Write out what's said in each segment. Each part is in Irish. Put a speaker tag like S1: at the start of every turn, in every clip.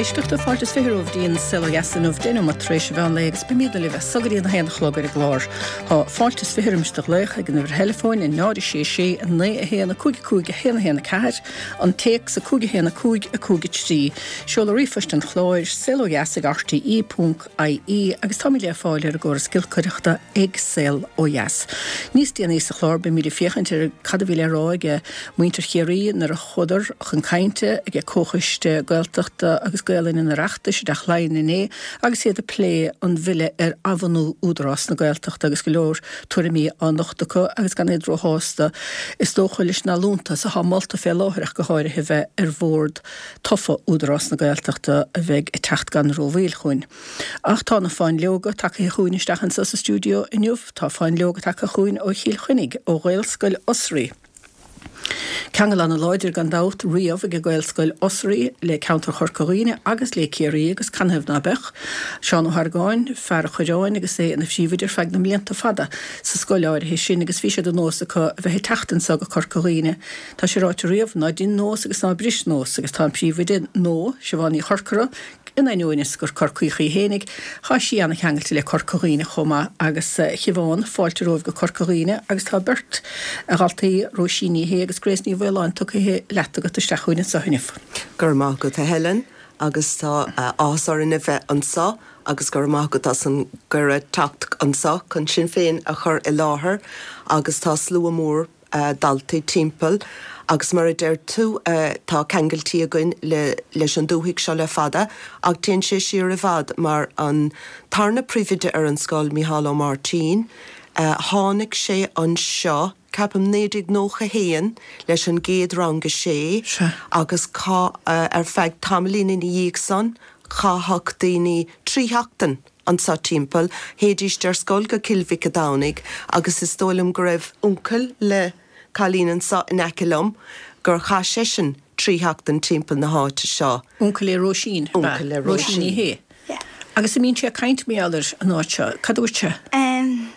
S1: éisteachta, fáilte is 20 romhaibh dtí an Saol Ó Dheas inniu, 10 nóiméad tar éis an mheán lae agus beimidne libh as so go dtí an 1 a chlog ar an gclár. Tá fáilte is 20 roimis do ghlaoch ag an uimhir theileafóin, 0 6 6 9 1 5 5 1 1 4, an téacs 5 1 5 5 3. Seoladh ríomhphoist an chláir, saolodheas ag rte ponc ie agus táimid le fáil ar an gcóras giolcaireachta ag Saol Ó Dheas. Níos déanaí sa chlár beimid ag féachaint ar cad a bhí le rá ag muintir Chiarraí nuair a chuadar chun cainte ag Comhchoiste Gaeltachta agus Gaelainne an Oireachtais i dTeach Laighean inné agus iad ag plé an bhille ar athbhunú Údarás na Gaeltachta agus go leor tuairimí á nochtadh acu agus gan iad róshásta is dócha leis na liúntais atá molta fé láthair ach go háirithe bheith ar bhord tofa Údarás na Gaeltachta a bheidh ag teacht gan rómhoill chugainn. Ach tá na fáinleoga tagtha chugainn isteach anseo sa stiúideo inniu. Tá fáinleoga tagtha chugainn ó Chill Chainnigh, ó Ghaelscoil Osraí. Ceangal ana-láidir gan dabht riamh ag Gaelscoil Osraí le ceantar Chorca Dhuibhne agus le Ciarraí agus canathaobh ná beadh? Seán Ó hArgáin, fear an Choireáin agus é ina phríomhoide ar feadh na mblianta fada sa scoil áirithe sin agus bhí sé de nós acu a bheith ag teacht anseo go Corca Dhuibhne Tá sé ráite riamh, ná dein nós agus ná bris nós, agus tá an príomhoide nua, Siobhán Ní Chorcora, in ainneoin is gur Corcaíoch í fhéinig, tá sí ana-cheangailte le Corca Dhuibhne chomh maith agus, a Shiobhán, fáilte romhaibh go Corca Dhuibhne agus tá beirt dhaltaí, Róisín Ní Shé agus Grace Ní Mhaoláin tugtha leat agat isteach chugainn anseo inniu.
S2: Go raibh maith agat a Helen agus tá áthas orainn a bheith anseo agus go raibh maith agat as an gcuireadh teacht anseo chun sinn féin a chur i láthair agus tá slua mór daltaí timpeall agus mar a deir tú tá ceangailtí againn le leis an dúthaigh seo le fada ach téann sé siar i bhfad mar an tarna príomhoide ar an scoil, Mícheál Ó Máirtín, tháinig sé anseo ceapaim 1991 leis an gcéad rang a sé agus ar feadh tamaillín ina dhiaidh san chaitheadh daoine 3 sheachtain anseo timpeall. Théidíst ar scoil go Cill Mhic a' Domhnaigh agus is dóigh liom go raibh uncail le cailín anseo in aice liom gur chaith seisean 3 sheachtain timpeall na háite seo.
S1: Uncail le Róisín, ab ea?
S2: Uncail le
S1: Róisín Ní
S2: Róisín.
S1: Shé.
S3: Yeah.
S1: Agus a mbíonn sé ag caint mar gheall ar an áit seo, cad a dúirt sé?
S3: Em,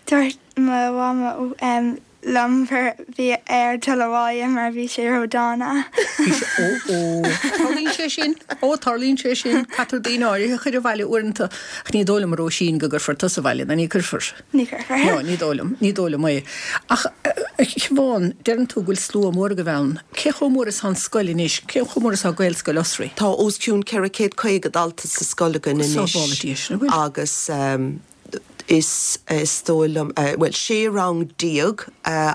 S3: dúirt mo mhama, em, liom gur bhí air dul abhaile mar bhí sé ródhána.
S1: Bhí sé, ó, ó, tarlaíonn sé sin, ó, tarlaíonn sé sin, caitear daoine áirithe a chur abhaile uaireanta, ach ní dóigh liom, a Róisín, go gcuirfear tusa abhaile, ná ní cuirfear.
S3: Ní chuirfear.
S1: No, ní dóigh liom, ní dóigh liom é. Ach, a Shiobhán, deireann tú go bhfuil slua mór agaibh ann. Cé chomh mór is atá an scoil anois? Cé chomh mór is atá Gaelscoil Osraí?
S2: Tá os cionn 450 dalta sa scoil againn anois.
S1: Sábhála Dia sin, an bhfuil?
S2: Agus. is is dóigh liom, bhuel, 16 rang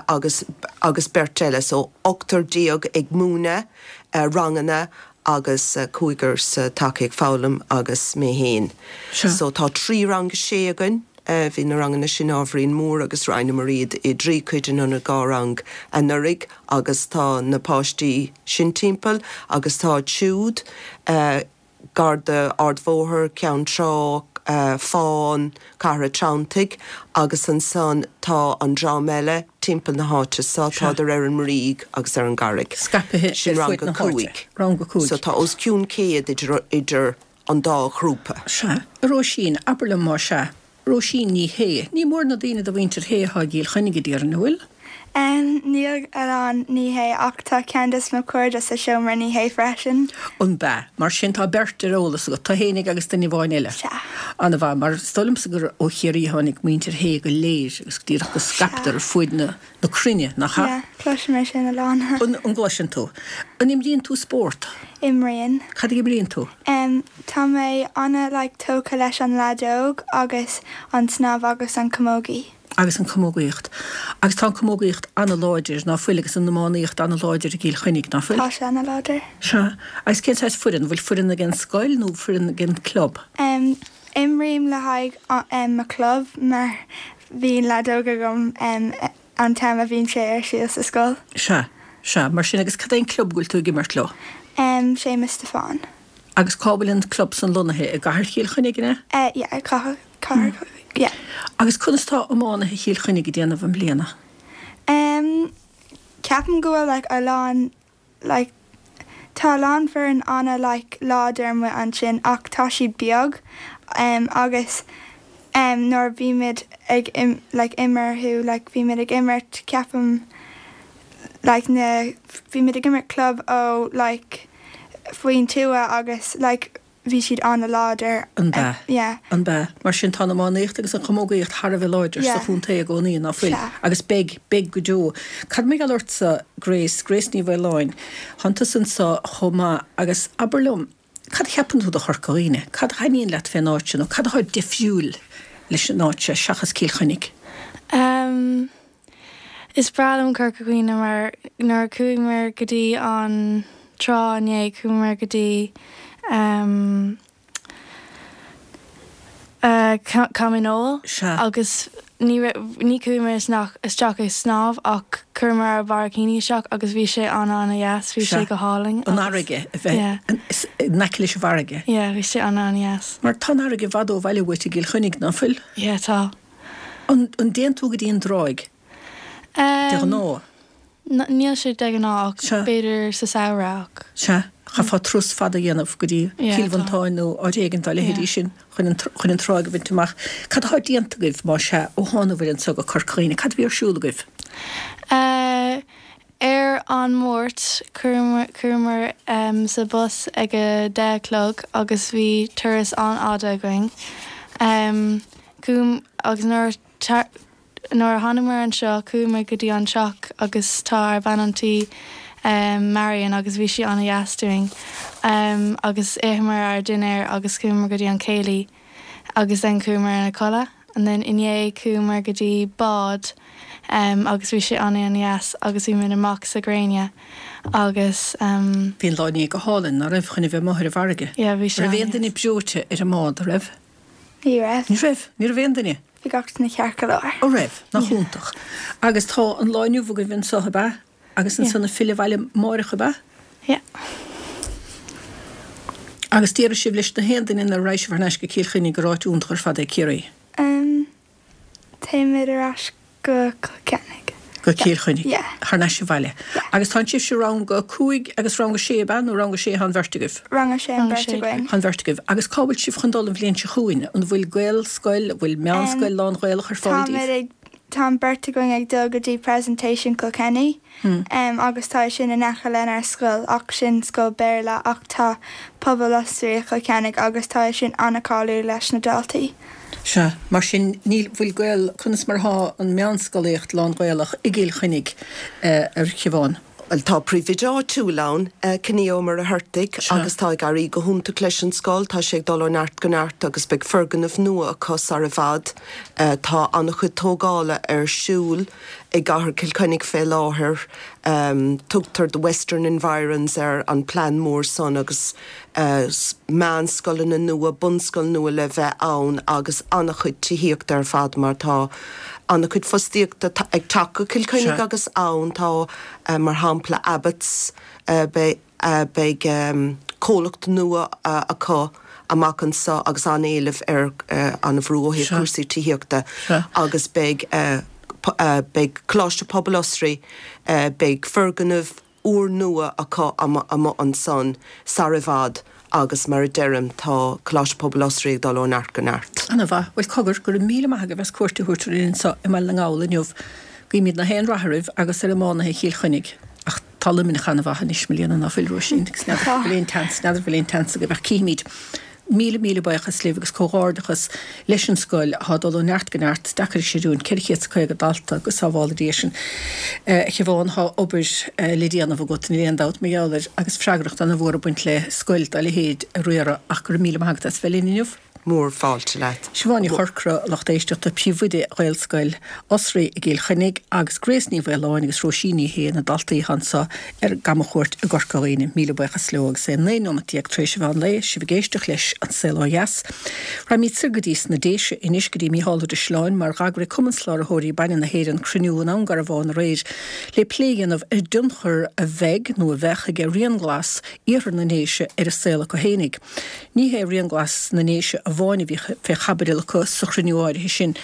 S2: agus agus beirt eile, so ochtar déag ag múineadh ranganna agus cúigear sa taca ag foghlaim agus mé féin. So tá trí rang a sé againn, bhí na ranganna sin ábhairín mór agus roinneamar iad i dtrí cuid in ionad dhá rang anuraidh agus tá na páistí sin timpeall agus tá siúd, gar d'Ardbhóthar, Ceann Trá, Fán, Cathair a' Treanntaigh agus ansan tá an dream eile timpeall na háite so, tádar ar an mBrígh agus ar an gCarraig.
S1: Scaipthe
S2: Sin
S1: ar
S2: rang
S1: fuaid
S2: a
S1: na háite.
S2: cúig.
S1: Rang a cúig.
S2: So tá os cionn 100 idir, idir an dá ghrúpa.
S1: Sea. A Róisín, abair liom más ea. Róisín Ní Shé. Ní mór na daoine de mhuintir Shé atá i gCill Chainnigh, a déarfainn, an bhfuil?
S3: Níl a lán Ní Shé ach tá ceann des mo chairde sa seomra Ní Shé freisin.
S1: An b'ea? Mar sin tá beirt ar eolas agat, tú fhéinig agus duine amháin eile.
S3: Sea.
S1: Ana-mhaith, mar is dóigh liomsa gur ó Chiarraí a tháinig muintir Shé go léir agus díreach go scaiptear ar fuaid na na cruinne, nach ea?
S3: Yeah, cloisim é sin a lán.
S1: An gcloiseann tú? An imríonn tú spórt?
S3: Imríonn.
S1: Cad a imríonn tú?
S3: Em, tá mé ana like tógtha leis an leadóg agus an snámh agus an camógaí.
S1: Agus an camógaíocht. Agus tá an camógaíocht ana-láidir, ná fuil, agus an iománaíocht ana-láidir i gCill Chainnigh, ná fuil?
S3: Tá sé ana-láidir.
S1: Sea. Agus cén saghas foireann? Bhfuil foireann ag an scoil nó foireann ag an club?
S3: Em, Imrím le haghaidh mo chlub mar bhíonn leadóg agam an t-am a bhíonn sé ar siúl sa scoil.
S1: Sea, sea, mar sin agus cad é an club go bhfuil tú ag imirt leo?
S3: Séamus Stiofáin.
S1: Agus cá bhfuil an club san lonnaithe? I gCathair Chill Chainnigh, an
S3: ea? Yeah, i gCathair, Cathair, yeah.
S1: Agus conas tá iománaithe Chill Chainnigh ag déanamh i mbliana?
S3: Ceapaim go bhfuil like a lán like tá a lán foireann ana like láidir amuigh ansin ach tá siad beag em agus em nuair a bhímid ag im like imearthu like bhímid ag imirt ceapaim like na bhímid ag imirt club ó like. faoin tuath agus like bhí siad an-láidir.
S1: An b'ea?
S3: Yeah.
S1: An b'ea? Mar sin tá an iománaíocht agus an chamógaíocht thar a bheith láidir sa
S3: Yeah.
S1: chontae i gcónaí, ná fuil?
S3: Sea.
S1: Agus beidh, beidh go deo. Cad mar gheall ortsa, Grace, Grace Ní Mhaoláin, thánn tusa anso chomh maith agus abair liom, cad a cheapann tú de Chorca Dhuibhne? Cad a thaitníonn leat fén áit seo nó cad atá difriúil leis an áit seo seachas Cill Chainnigh?
S4: Em, Is breá liom Corca Dhuibhne mar nuair a chuaigh go dtí an trá inné chuamar go dtí em eh Coimín
S1: Sea.
S4: agus ní raibh ní chuamar isteach isteach ag snámh ach chuireamar ár mbarraicíní isteach agus bhí sé an-an-dheas bhí
S1: Sea.
S4: sé go hálainn
S1: An
S4: agus
S1: fharraige a bheith
S4: yeah.
S1: in aice leis an bhfarraige.
S4: Yeah bhí sé an-an-dheas.
S1: Mar tá an fharraige i bhfad ó bhaile uait i gCill Chainnigh, ná fuil?
S4: Yeah tá.
S1: An dtéann tú go dtí an dtráigh de ghnáth?
S4: Níl sé de ghnáth ach
S1: Sea.
S4: b'fhéidir sa samhradh ach.
S1: Sea, chaithfeá turas fada a dhéanamh go dtí
S4: Yeah,
S1: Cill
S4: tá.
S1: Mhantáin nó áit éigin dá leithéidí
S4: Yeah.
S1: sin chun an chun an tráigh a bhaint amach. Cad atá déanta agaibh, má sea, ó thánabhair anso go Corca Dhuibhne? Cad a bhí ar siúl agaibh?
S4: Eh, Ar an Máirt, chuamar sa bus ag a deich a chlog agus bhí turas an-fhada againn. Agus nuair nuair a thánamar anseo, chuamar go dtí an teach agus tá ár bean an tí, Marion, agus bhí sí an-dheas dúinn. Agus itheamar ár dinnéar agus chuamar go dtí an céilí. agus then chuamar ina codladh and then inné chuamar go dtí bád em agus bhí sé an-an-dheas agus bhí muid amach sa gréine agus em.
S1: Bhí an lá inné go hálainn, ná raibh, chun a bheith amuigh ar an bhfarraige?
S4: Yeah bhí sé
S1: Raibh aon
S4: an-dheas.
S1: duine breoite ar an mbád, raibh?
S3: Ní raibh.
S1: Ní raibh? Ní raibh aon duine?
S3: Bhí gach duine ceart go leor.
S1: Ó raibh? Nach
S4: Yeah.
S1: iontach. Agus tá an lá inniu agaibh anso, ab ea? Agus ansan ag filleadh abhaile amáireach, ab ea?
S4: Yeah.
S1: Agus déarfaidh sibh leis na haon duine nuair a raghaidh sibh thar n-ais go Cill Chainnigh gur áit iontach ar fad é Ciarraí?
S3: Em, téimid ar ais go Cill Chainnigh.
S1: Go Cill Chainnigh?
S3: Yeah.
S1: Thar n-ais abhaile.
S3: Yeah.
S1: Agus tánn sibhse rang a 5 agus rang a 6, ab ea? Nó rang a 6 atá an bheirt agaibh?
S3: Rang a 6 an
S4: Rang a
S3: bheirt
S4: 6.
S3: againn.
S1: Tá an bheirt agaibh. Agus cá bhfuil sibh chun dul an bhliain seo chugainn? An bhfuil Gaelscoil, an bhfuil meánscoil lán-Ghaelach ar fáil
S3: Táimid
S1: daoibh?
S3: ag Tá an bheirt againn ag dul go dtí Presentation Kilkenny agus tá sin in aice lenár scoil ach sin scoil Béarla ach tá Pobal Osraí i Chill Chainnigh agus tá sin an-cáiliúil leis na daltaí.
S1: Sea, mar sin níl, bhfuil Gael, conas mar atá an meánscolaíocht lán-Ghaelach i gCill Chainnigh, a Shiobhán?
S2: Bhuel, tá príomhoide áitiúil ann, Ciní Ó Muircheartaigh, agus tá ag éirí go hiontach leis an scoil. Tá sé ag dul ó neart go neart agus beidh foirgneamh nua acu sar i bhfad. Tá an-chuid tógála ar siúl i gcathair Chill Chainnigh fé láthair. Tugtar The Western Environs ar an plean mór san agus meánscoileanna nua, bunscoil nua le bheith ann agus an-chuid tithíochta ar fad mar tá an-chuid fostaíochta ag teacht go Cill Chainnigh agus ann tá mar shampla Abbots, beidh comhlacht nua acu amach anso agus an-éileamh ar an-bhrú ó thaobh cúrsaí tithíochta agus beidh beidh Coláiste Pobail Osraí, beidh foirgneamh úrnua acu amuigh ansan sar i bhfad agus mar a deirim tá Coláiste Pobail Osraí ag dul ó neart go neart.
S1: Ana mhaith. Bhuel cogar, go raibh míle maith agaibh as cuairt a thabhairt orainn anso i mBaile na nGall inniu. Guímid na haon rath oraibh agus ar iománaithe Chill Chainnigh. Ach tá Luimneach ana mhaith anois, mo léan, ná fuil Róisín, agus n'fheadar an bhfuil aon tseans, n'fheadar an bhfuil aon tseans agaibh ach cífimid. Míle míle buíochas libh agus comhghairdeachas leis an scoil atá ag dul ó neart go neart, deacair a chreidiúint, 450 dalta, go sábhála Dia sinn. A Shiobhán, tá obair le déanamh agat, níl aon dabht mar gheall air, agus freagracht ana mhór ag baint le scoil dá leithéid a riaradh ach go raibh míle maith agat as bheith linn inniu.
S2: Mór fáilte leat.
S1: Siobhán Ní Chorcora, lucht éisteachta, Príomhoide Ghaelscoil Osraí i gCill Chainnigh agus Grace Ní Mhaoláin agus Róisín Ní Shé, na daltaí atá anseo ar camchuairt i gCorca Dhuibhne. Míle buíochas leo agus é 19 nóimeat tar éis an mheán lae, sibh ag éisteacht leis An Saol Ó Dheas. Raghaimid soir go dtí sna Déise anois go dtí Mícheál Ó Drisleáin mar dh'eagraigh Cumann Cláraitheoirí Bainne na hÉireann cruinniú in Abhainn Garbhán aréir le plé a dhéanamh ar an dtionchar a bheidh nó a bheadh aige Rian Glas iarthar na nDéise ar an saol acu fhéinig. Ní hé Rian Glas na nDéise amháin a bhí fé chaibidil acu sa chruinniú áirithe sin,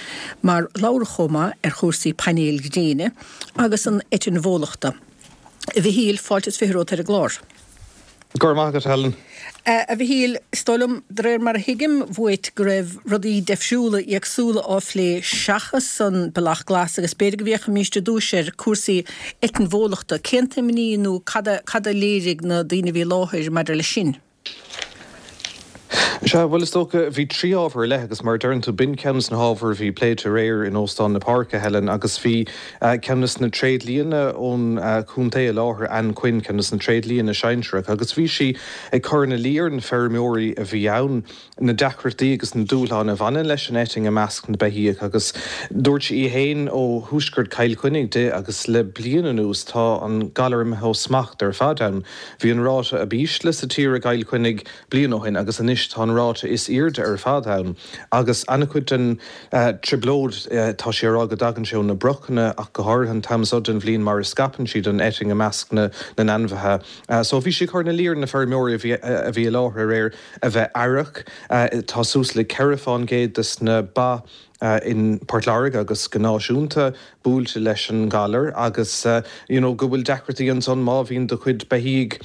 S1: mar labhradh chomh maith ar chúrsaí painéil ghréine agus an eitinn bhólachta. A Mhichíl, fáilte is 20 romhat ar an gclár.
S5: Go raibh maith agat, Helen.
S1: A Mhichíl, is dóigh liom, de réir mar a thuigim uait, go raibh rudaí deifriúla, éagsúla á phlé seachas an Bealach Glas agus b'fhéidir go bhféachfaimíst ar dtúis ar cúrsaí eitinn bhólachta. Cén t-imní nó cad a, cad a léirigh na daoine a bhí i láthair maidir leis sin?
S5: Sea, bhuel, is dócha, bhí 3 ábhar ar leith agus mar a deireann tú, b'in ceann des na hábhair a bhí pléite aréir in Óstán na Páirce, Helen, agus bhí ceann des na tréidlianna ón chontae i láthair, Ann Quinn, ceann des na tréidlianna sinsearacha, agus bhí sí ag cur ina luí ar na feirmeoirí a bhí ann na deacrachtaí agus na dúshláin a bhaineann leis an eitinn i measc na beithíoch agus dúirt sí í féin ó thuaisceart Chill Chainnigh di agus le bliain anuas tá an galar imithe ó smacht ar fad ann. Bhí an ráta ab ísle sa tír i gCill Chainnigh bliain ó shin agus anois tá an ráta is airde ar fad ann agus an-chuid den trioblóid tá sí ag rá go dtagann sé ó na brochanna ach go háirithe an t-am seo den bhliain mar a scaipeann siad an eitinn i measc na n-ainmhithe. So bhí sí ag cur ina luí ar na feirmeoirí a bhí i láthair aréir a bheith aireach. Tá suas le 4 fán gcéad des na ba in Port Láirge agus go náisiúnta buailte leis an ngalar agus you know go bhfuil deacrachtaí ansan má bhíonn do chuid beithígh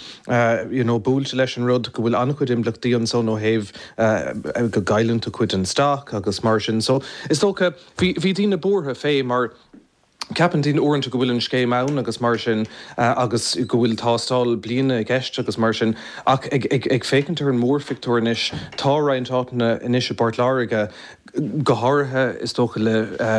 S5: you know buailte leis an rud go bhfuil an-chuid impleachtaí ansan ó thaobh go gcailleann tú cuid den stoc agus mar sin. So is dócha bhí bhí daoine buartha fé mar Ceapann daoine uaireanta go bhfuil an scéim ann agus mar sin agus go bhfuil tástáil bliana i gceist agus mar sin ach ag féachaint ar an mórphictiúr anois tá roinnt áiteanna anois i bPort Láirge go háirithe is dócha le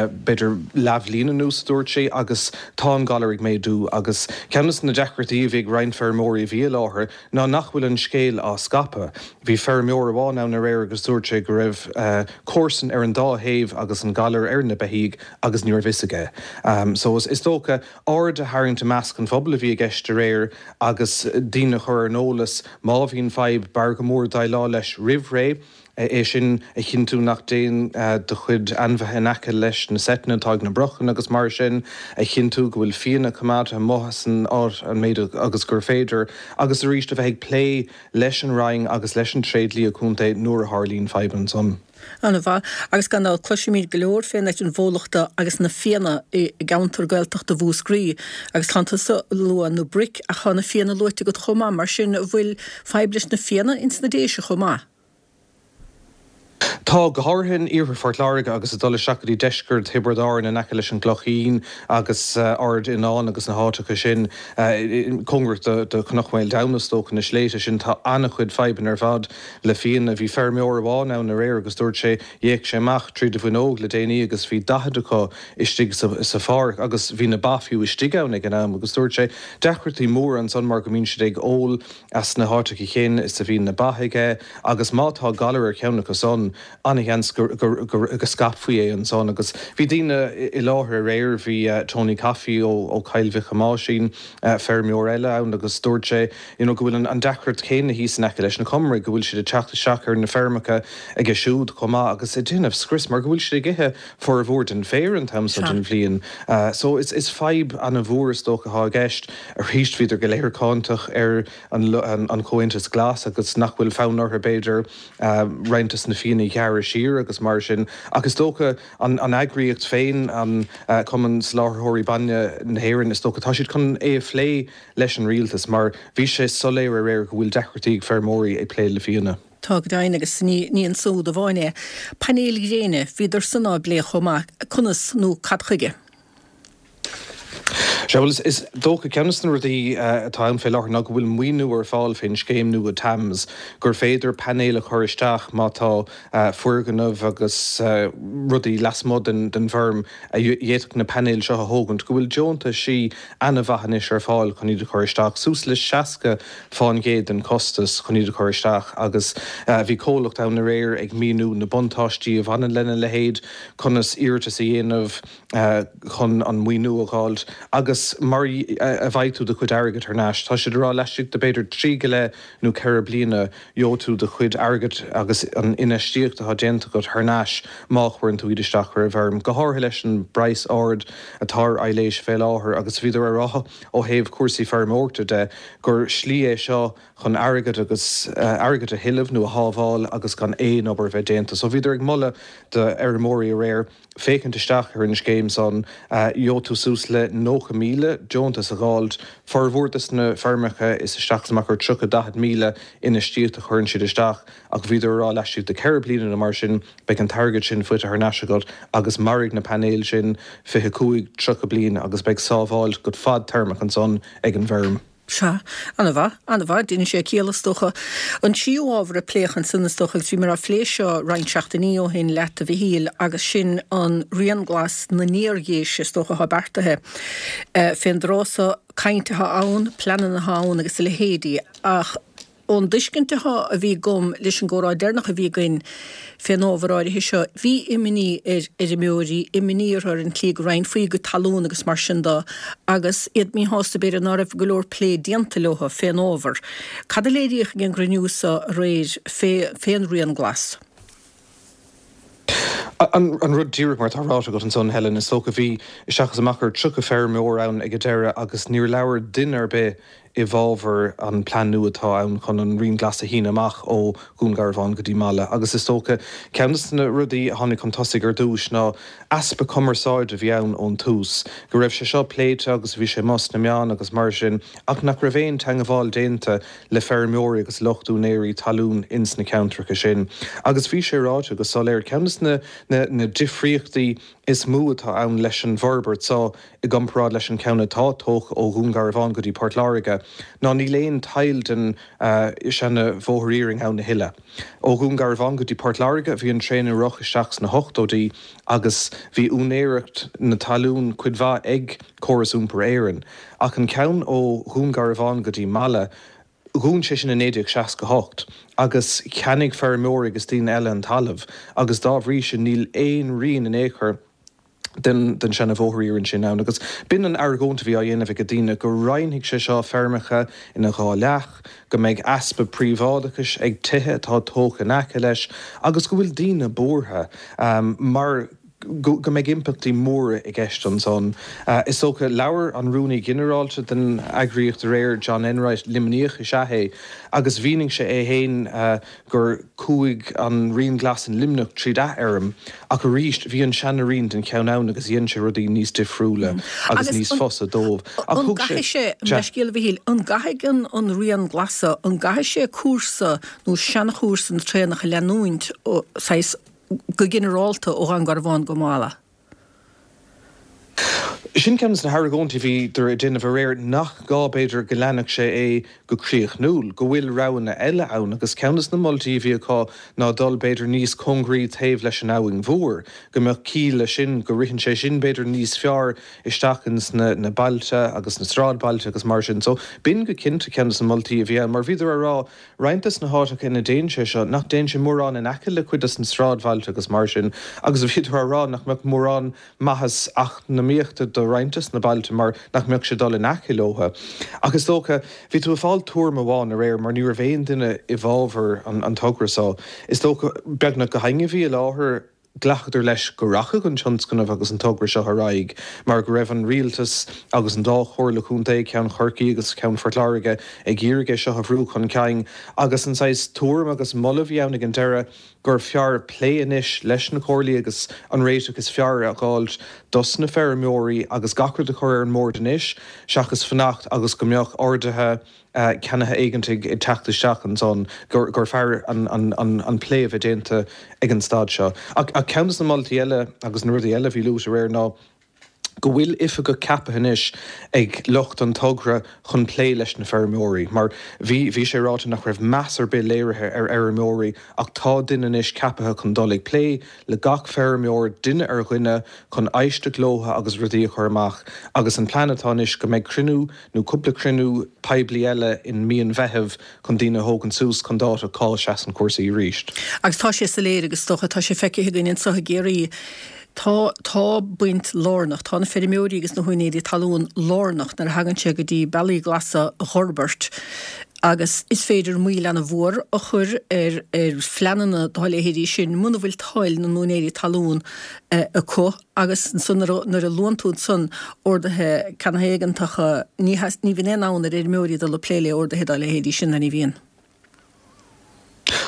S5: b'fhéidir leathbhliain anuas a dúirt sí agus tá an galar ag méadú agus ceann de na deacrachtaí a bhí ag roinnt feirmeoirí a bhí i láthair ná nach bhfuil an scéal á scaipeadh. Bhí feirmeoir amháin ann aréir agus dúirt sé go raibh comharsan ar an dá thaobh agus an galar ar na beithígh agus ní raibh fhios aige. So is dócha aird a tharraingt i measc an phobail a bhí i gceist aréir agus daoine a chur ar an eolas má bhíonn fadhb, b'fhearr go mór déileáil leis roimh ré. É sin a chinntiú nach dtéann do chuid ainmhithe in aice leis na seiteanna atá ag na brochanna agus mar sin, a chinntiú go bhfuil fianna coimeádta amuigh as an áit an méid agus gur féidir, agus arís a bheith ag plé leis an Roinn agus leis an tréidlia contae nuair a tharlaíonn fadhb ansan.
S1: An-mhaith. Agus gan dabht cloisimid go leor fén eitinn bhólachta agus na fianna i gceantar Gaeltachta Mhúscraí agus tánn tusa ag lua na broic ach tá na fianna luaite agat chomh maith, mar sin an bhfuil fadhb leis na fianna ins na Déise chomh maith?
S5: Tá, go háirithe in iarthar Phort Láirge agus ag dul isteach go dtí deisceart Thiobraid Árann in aice leis an gClochín agus Ard Fhionáin agus na háiteacha sin, cóngarach do Chnoc Mhaoldomhna is dócha, na sléibhte sin, tá an-chuid fadhbanna ar fad le fianna. Bhí feirmeoir amháin ann aréir agus dúirt sé, d'fhéach sé amach tríd an bhfuinneog le déanaí agus bhí 40 acu istigh sa pháirc agus bhí na ba fiú istigh ann ag an am agus dúirt sé, deacrachtaí móra ansan mar go mbíonn siad ag ól as na háiteacha céanna is a bhíonn na ba aige agus má tá galar ar cheann acu san, an-sheans go scaipfí é ansan. Agus bhí daoine i láthair aréir, bhí Tony Coffey ó Choill Mhic Thomáisín, feirmeoir eile ann agus dúirt sé you know go bhfuil an deacracht chéanna thíos in aice leis na Comaraigh, go bhfuil siad ag teacht isteach ar na feirmeacha aige siúd chomh maith agus ag déanamh scrios mar go bhfuil siad ag ithe formhór den bhféar an t-am seo den bhliain. So is fadhb an-mhór is dócha atá i gceist. Arís bhíodar go léir cáinteach ar an Chomhaontas Glas agus nach bhfuil fonn orthu b'fhéidir roinnt des na fianna a ghearradh siar agus mar sin. Ach is dócha an eagraíocht féin, an Cumann Soláthraithe Bainne na hÉireann, is dócha, tá siad chun é a phlé leis an rialtas mar bhí sé soiléir aréir go bhfuil deacrachtaí ag feirmeoirí ag plé le fianna.
S1: Tá go deimhin, agus ní ansúd amháin é. Painéil ghréine, bhíodar san á bplé chomh maith. Conas nó cad chuige?
S5: Sea, bhuel, is dócha, ceann de na rudaí atá ann fé láthair ná go bhfuil maoiniú ar fáil fén scéim nua TAMS, gur féidir painéil a chur isteach má tá foirgneamh agus rudaí lasmuigh den bhfeirm a d'fhéadfadh na painéil seo a thógaint, go bhfuil deontaisí ana-mhaith anois ar fáil chun iad a chur isteach, suas le 60 fán gcéad den chostas chun iad a chur isteach agus bhí comhlacht ann aréir ag míniú na buntáistí a bhaineann lena leithéid, conas iarratas a dhéanamh chun an maoiniú a dh'fháilt agus mar a bhfaighidh tú do chuid airgid thar n-ais. Tá siad ag rá laistigh de b'fhéidir trí go leith nó ceithre bliana gheobhaidh tú do chuid airgid agus an infheistíocht atá déanta agat thar n-ais má chuireann tú iad isteach ar an bhfeirm, go háirithe leis an bpraghas ard atá ar aibhléis fé láthair agus bhíodar ag rá ó thaobh cúrsaí feirmeoireachta de gur slí é seo chun airgead agus airgead a thuilleamh nó a shábháil agus gan aon obair a bheith déanta. So bhíodar ag moladh do fheirmeoirí aréir. féachaint isteach ar an scéim san, gheobhaidh tú suas le 90,000 deontas a dh'fháilt. Formhór des na feirmeacha is isteach is amach ar 30, 40,000 infheistíocht a chuireann siad isteach ach bhíodar a rá laistigh de 4 bliana nó mar sin beidh an t-airgead sin faighte thar n-ais agat agus mairfidh na painéil sin 25, 30 bliain agus beidh sábháilt go fadtéarmach ansan ag an bhfeirm.
S1: Sea. Ana-mhaith. Ana-mhaith. Déanann sé ciall, is dócha. An tríú ábhar a pléadh ansan, is dócha, agus bhíomar á phlé seo roinnt seachtainí ó shin leat, a Mhichíl, agus sin an Rian Glas na nIardhéise, is dócha, atá beartaithe fén dtráth so. Caint atá ann, pleananna atá ann agus a leithéidí, ach ón dtuiscint atá, a bhí agam leis an gcomhrá deireanach a bhí againn fén ábhar áirithe seo, bhí imní ar fheirmeoirí, imní orthu ar an tslí go roinnfí a gcuid talún agus mar sin de, agus iad míshásta b'fhéidir ná raibh go leor plé déanta leo fén ábhar. Cad a léiríodh ag an gcruinniú so aréir fé, fén Rian Glas?
S5: An rud díreach mar atá ráite agat ansan, Helen, is dócha, bhí isteach is amach ar 30 feirmeoir ann ag an deireadh agus níor labhair duine ar bith i bhfabhar an plean nua atá ann chun an Rian Glas a shíneadh amach ó Dhún Garbhán go dtí Mala. Agus is dócha, ceann de na rudaí a tháinig chun tosaigh ar dtús ná easpa cumarsáide a bhí ann ón tús, go raibh sé seo pléite agus bhí sé amuigh sna meáin agus mar sin ach nach raibh aon teangabháil déanta le feirmeoirí agus lucht úinéirí talún ins na ceantracha sin. Agus bhí sé ráite go soiléir, ceann de na na difríochtaí is mó atá ann leis an bhforbairt seo i gcomparáid leis an cheann atá tógtha ó Dhún Garbhán go dtí Port Láirge ná níl aon tadhall den seana bhóthar iarainn ann a thuilleadh. Ó Dhún Garbhán go dtí Port Láirge bhí an traein ag rith isteach sna hochtóidí agus bhí úinéireacht na talún cuid mhaith ag Córas Iompair Éireann. Ach an ceann ó Dhún Garbhán go dtí Mala, dhún sé sin i 1968 agus cheannaigh feirmeoirí agus daoine eile an talamh agus dá bhrí sin níl aon rian in aon chor den den seana bhóthar iarainn sin ann. Agus b'in an argóint a bhí á dhéanamh ag daoine, go roinnfidh sé seo feirmeacha ina dhá leath, go mbeidh easpa príobháideachais ag tithe atá tógtha in aice leis agus go bhfuil daoine buartha mar go mbeidh impleachtaí móra i gceist ansan. Is dócha, labhair an Rúnaí Ginearálta den eagraíocht aréir, John Enright, Luimníoch is ea é, agus mhínigh sé é féin gur chuaigh an Rian Glas in Luimneach tríd athfheirm, ach arís bhí an seana-rian den cheann ann agus dhein sé rudaí níos difriúla agus níos fusa dóibh.
S1: Ach thug sé. An gcaithfidh sé, leithscéal a Mhichíl, an gcaithfidh an Rian Glas, an gcaithfidh sé cúrsa nó seanchúrsa na traenach a leanúint, saghas, go ginearálta ó Dhún Garbhán go Mala.
S5: Sin ceann de na hargóintí a bhíodar ag déanamh aréir, nach gá, b'fhéidir, go leanfadh sé é go críochnúil, go bhfuil roghanna eile ann agus ceann de na moltaí a bhí acu ná dul, b'fhéidir, níos cóngaraí taobh leis an Abhainn Mhór, go mbeadh ciall leis sin, go ritheann sé sin, b'fhéidir, níos fearr isteach ins na bailte agus na sráidbhailte agus mar sin. So, b'in go cinnte ceann de na moltaí a bhí ann mar bhíodar á rá, Roinnt des na háiteacha ina dtéann sé seo, nach dtéann sé mórán in aice le cuid des na sráidbhailte agus mar sin, agus bhíodar á rá nach mbeadh mórán maitheas eacnamaíochta do roinnt des na bailte mar nach mbeadh sé ag dul in aice leotha. Ach is dócha, bhí tú ag fáil tuairim amháin aréir mar ní raibh aon duine i bhfabhar an togra seo. Is dócha, beagnach gach éinne a bhí i láthair, Ghlacadar leis go rachadh an tionscnamh agus an togra seo ar aghaidh mar go raibh an rialtas agus an dá chomhairle contae, ceann Chorcaí agus ceann Phort Láirge, ag iarraidh é seo a bhrú chun cinn agus an saghas tuairim agus moladh a bhí ann ag an deireadh gur fearr plé anois leis na comhairlí agus an réiteach is fearr a dh'fháilt dos na feirmeoirí agus gach rud a chur ar an mbord anois seachas fanacht agus go mbeadh orduithe ceannaithe éigeantaigh ag teacht isteach ansan gur fearr an plé a bheith déanta ag an staid seo. Ach ceann de na moltaí eile agus na rudaí eile a bhí luaite aréir ná go bhfuil oifigeach ceaptha anois ag lucht an togra chun plé leis na feirmeoirí mar bhí bhí sé ráite nach raibh meas ar bith léirithe ar fheirmeoirí ach tá duine anois ceaptha chun dul ag plé le gach feirmeoir duine ar dhuine chun éisteacht leo agus rudaí a chur amach agus an plean atá anois go mbeidh cruinniú nó cúpla cruinniú poiblí eile in mí an Mheithimh chun daoine a thógaint suas chun dáta cá seasann cúrsaí arís.
S1: Agus tá sé soiléir agus is dócha, tá sé feicthe againn anseo i gCiarraí, tá, tá baint lárnach, tá na feirmeoirí agus na húinéirí talún lárnach nuair a thagann sé go dtí bealaí glasa a dh'fhorbairt agus is féidir moill ana-mhór a chur ar, ar phleananna dá leithéidí sin muna bhfuil toil na n-úinéirí talún acu. Agus ansan nuair a luann tú ansan orduithe ceannaithe éigeantacha, ní ní bhíonn aon fhonn ar fheirmeoirí dul ag plé le orduithe dá leithéidí sin, ná ní bhíonn.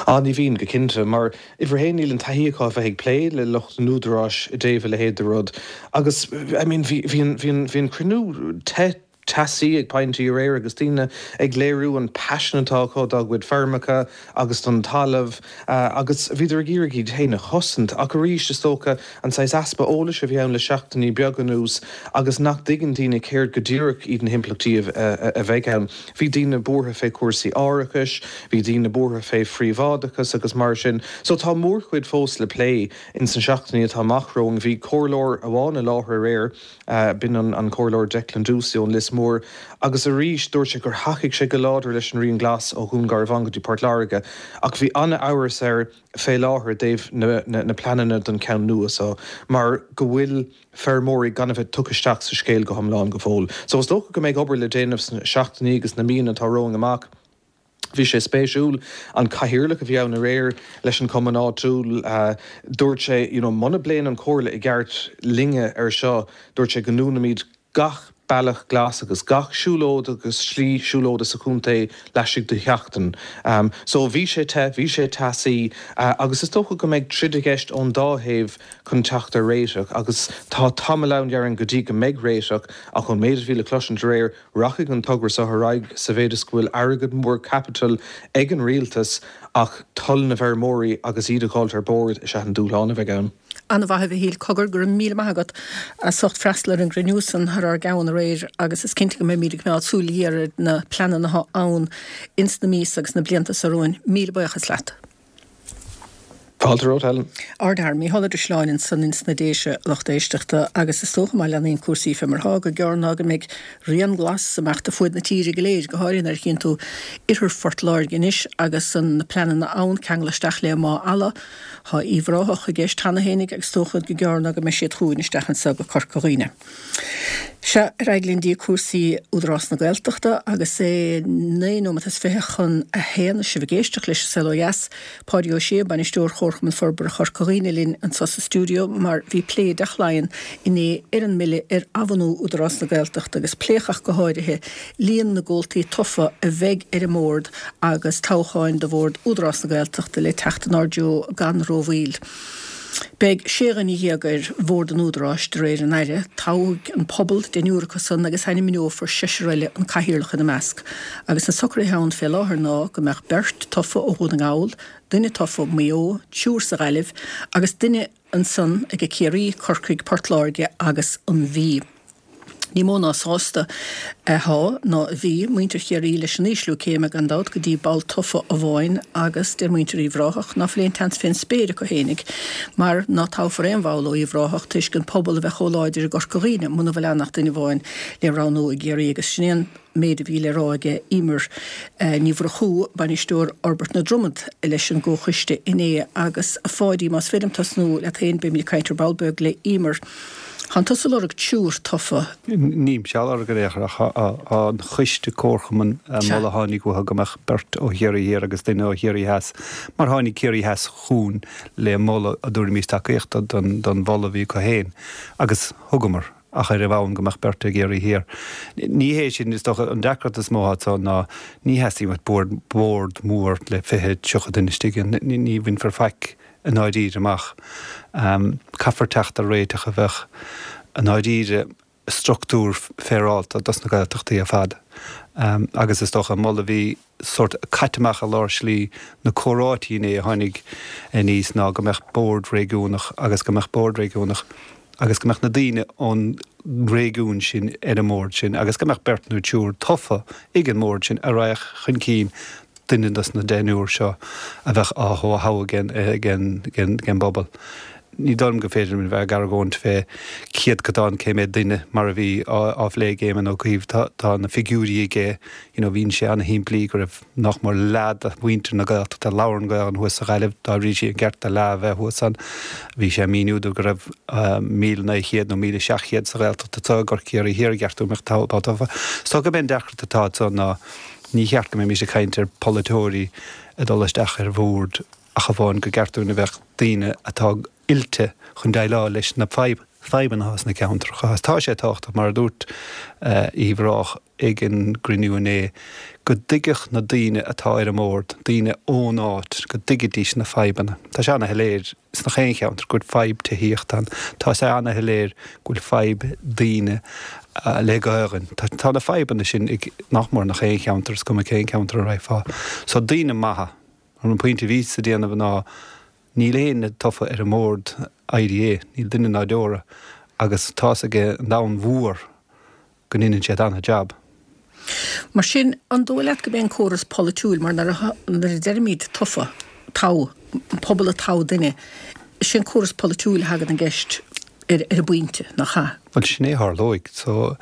S5: Á, ní bhíonn, go cinnte, mar uimhir a haon níl an taithí acu a bheith ag plé le lucht an údaráis i dtaobh a leithéid de rud agus, I mean, bhí, bhí an, bhí an, bhí an cruinniú te, teasaí ag pointí aréir agus daoine ag léiriú an paisean atá acu dá gcuid feirmeacha agus don talamh agus bhíodar ag iarraidh iad féin a chosaint. Ach arís, is dócha, an saghas easpa eolais a bhí ann le seachtainí beaga anuas agus nach dtuigeann daoine céard go díreach iad na himpleachtaí a bheidh ann. Bhí daoine buartha fé chúrsaí árachais, bhí daoine buartha fé phríobháideachas agus mar sin. So tá mórchuid fós le plé ins na seachtainí atá amach romhainn. Bhí comhairleoir amháin i láthair aréir, B'in an Comhairleoir Declan Doocey ón Lios Mór agus arís dúirt sé gur thacaigh sé go láidir leis an Rian Glas ó Dhún Garbhán go dtí Port Láirge ach bhí an-amhras air fé láthair i dtaobh na pleananna don cheann nua so mar go bhfuil feirmeoirí gan a bheith tugtha isteach sa scéal go hiomlán go fóill. So is dócha go mbeidh obair le déanamh sna seachtainí agus na míonna atá romhainn amach. Bhí sé spéisiúil, an cathaoirleach a bhí ann aréir leis an chumann áitiúil, dúirt sé, you know, muna bpléann an Chomhairle i gceart linne ar seo, dúirt sé go ndúnfaimid gach bealach glas agus gach siúlóid agus slí siúlóide sa chontae laistigh de sheachtain. So bhí sé te, bhí sé teasaí agus is dócha go mbeidh troid i gceist ón dá thaobh chun teacht ar réiteach agus tá tamall ann, déarfainn, go dtí go mbeidh réiteach ach ón méid a bhí le cloisint aréir, Rachaidh an togra seo ar aghaidh sa mhéid is go bhfuil airgead mór caipitil ag an rialtas ach toil na bhfeirmeoirí agus iad a dh'fháilt ar bord is ea an dúshlán a bheidh ann.
S1: An-mhaith a Mhichíl. Cogar, go raibh míle maith agat as ucht freastal ar an gcruinniú san thar ár gceann aréir agus is cinnte go mbeimíd ag coimeád súil ghéar ar na pleananna atá ann ins na míosa agus na blianta so romhainn. Míle buíochas leat.
S5: Fáilte romhat, Helen.
S1: Ardfhear, Mícheál Ó Drisleáin ansan ins na Déise, a lucht éisteachta, agus is dócha má leanaíonn cúrsaí fé mar atá, gur gearr ná go mbeidh rian glas imeachta fuaid na tíre go léir, go háirithe nuair a chíonn tú oirthear Phort Láirge anois agus an na pleananna ann ceangal isteach le Mágh Ealla. Tá Uíbh Ráthach i gceist cheana fhéinig agus is dócha gur gearr ná go mbeidh siad chugainn isteach anso go Corca Dhuibhne. Sea, ar aghaidh linn dtí cúrsaí Údarás na Gaeltachta agus é 9 nóiméad is 20 chun a haon is sibh ag éisteacht leis An Saol Ó Dheas. Páidí Ó Sé, Bainisteoir Chomharchumann Forbartha Chorca Dhuibhne linn anseo sa stiúideo mar bhí plé i dTeach Laighean inné ar an mBille ar athbhunú Údarás na Gaeltachta agus pléadh ach go háirithe líon na gcomhaltaí tofa a bheidh ar an mbord agus toghcháin do bhord Údarás na Gaeltachta le teacht inár dtreo gan rómhoill. Beidh sé dhuine dhéag ar Bhord an Údaráis, de réir an Aire. Toghfaidh an pobal deichniúr acu san agus ainmneofar seisear eile, an Cathaoirleach ina measc. Agus na socruithe ann fé láthair ná go mbeadh beirt tofa ó Dhún na nGall, duine tofa ó Mhaigh Eo, triúr sa Ghaillimh agus duine ansan aige Ciarraí, Corcaigh, Port Láirge agus an Mhí. Ní mó ná sásta athá, ná a bhí, muintir Chiarraí leis an ísliú céime, gan dabht, go dtí ball tofa amháin agus deir muintir Uíbh Ráthach ná fuil aon tseans fén spéir acu fhéinig mar ná toghfar aon bhall ó Uíbh Ráthach toisc an pobal a bheith chomh láidir i gCorca Dhuibhne muna bhfuil ann ach duine amháin le roghnú i gCiarraí agus sin é an méid a bhí le rá aige Emer Ní Mhurchú, Bainisteoir Fhorbairt na Dromad leis an gComhchoiste inné. Agus a Pháidí, más féidir liom tosnú leat féin, beimid ag caint ar ball beag le Emer. Tánn tusa ag lorg triúr tofa.
S6: Nílimse á lorg ar aon chor ach tá an choiste comharchumann an moladh a tháinig uathu go mbeadh beirt ó Chiarraí Thiar agus duine ó Chiarraí Theas mar tháinig Ciarraí Theas chugainn le moladh a dtabharfaimis tacaíocht don mholadh a bhí acu féin agus thugamar. ach ar an bhonn go mbeadh beirt i gCiarraí Thiar. Ní hé sin, is dócha, an deacracht is mó atá anso ná ní theastaíonn uait bord, bord mór le 20, 30 duine istigh ann. Ní bhainfear faic i ndáiríre amach. Caithfear teacht ar réiteach a bheadh i ndáiríre struchtúr féaráilte dos na Gaeltachtaí ar fad. Agus is dócha an moladh a bhí sórt caite amach i lár slí na comhráití inné a tháinig aníos ná go mbeadh bord réigiúnach agus go mbeadh bord réigiúnach agus go mbeadh na daoine ón réigiún sin ar an mbord sin agus go mbeadh beirt nó triúr tofa ag an mbord sin a raghadh chun cinn duine dos na deichniúr seo a bheadh á thoghadh ag an bpobal. Ní dóigh liom gur féidir linn a bheith ag argóint fé céadcotán cé mhéad duine mar a bhí á phlé ag Éamon Ó Cuív. Tá na figiúirí aige, you know, mhínigh sé ana-shimplí go raibh nach mór leath de mhuintir na Gaeltachta a labhrann Gaelainn thuas sa Ghaillimh, dá bhrí sin an ceart do leath a bheith thuas ann. Bhí sé ag míniú dúinn go raibh 1,900 nó 1,700 sa Ghaeltacht anseo i gCiarraí Thiar, ar cheart go mbeadh ball tofa. Is dócha gurb é an deacracht atá anso ná ní cheart go mbeimis ag caint ar pholaiteoirí ag dul isteach ar bhord ach amháin gur ceart dúinn a bheadh daoine atá oilte chun déileáil leis na fadhbanna atá sna ceantracha. Tá sé tábhachtach, mar a dúirt Uíbh Ráthach. ag an gcruinniú inné, go dtuigfeadh na daoine atá ar an mbord, daoine ón áit, go dtuigfidís na fadhbanna. Tá sé ana-shoiléir sna chaon cheantar go bhfuil fadhb tithíochta ann. Tá sé ana-shoiléir go bhfuil fadhb daoine le Gaelainn. Tá na fadhbanna sin ag nach mór nach aon cheantar, is cuma cén ceantar a raghfá. So daoine maithe. An pointe a bhíos ag déanamh ná níl éinne tofa ar an mbord IDA, níl duine ná deora, agus tá's ag an domhan mhór go ndeineann siad ana-jab.
S1: Mar sin, an dóigh leat go mbeidh an córas polaitiúil, mar nuair a deirimid tofa, toghadh, an pobal ag toghadh duine, is é an córas polaitiúil a thagann i gceist ar an bpointe, nach ea?
S6: Bhuel, sin é a tharlóidh. So,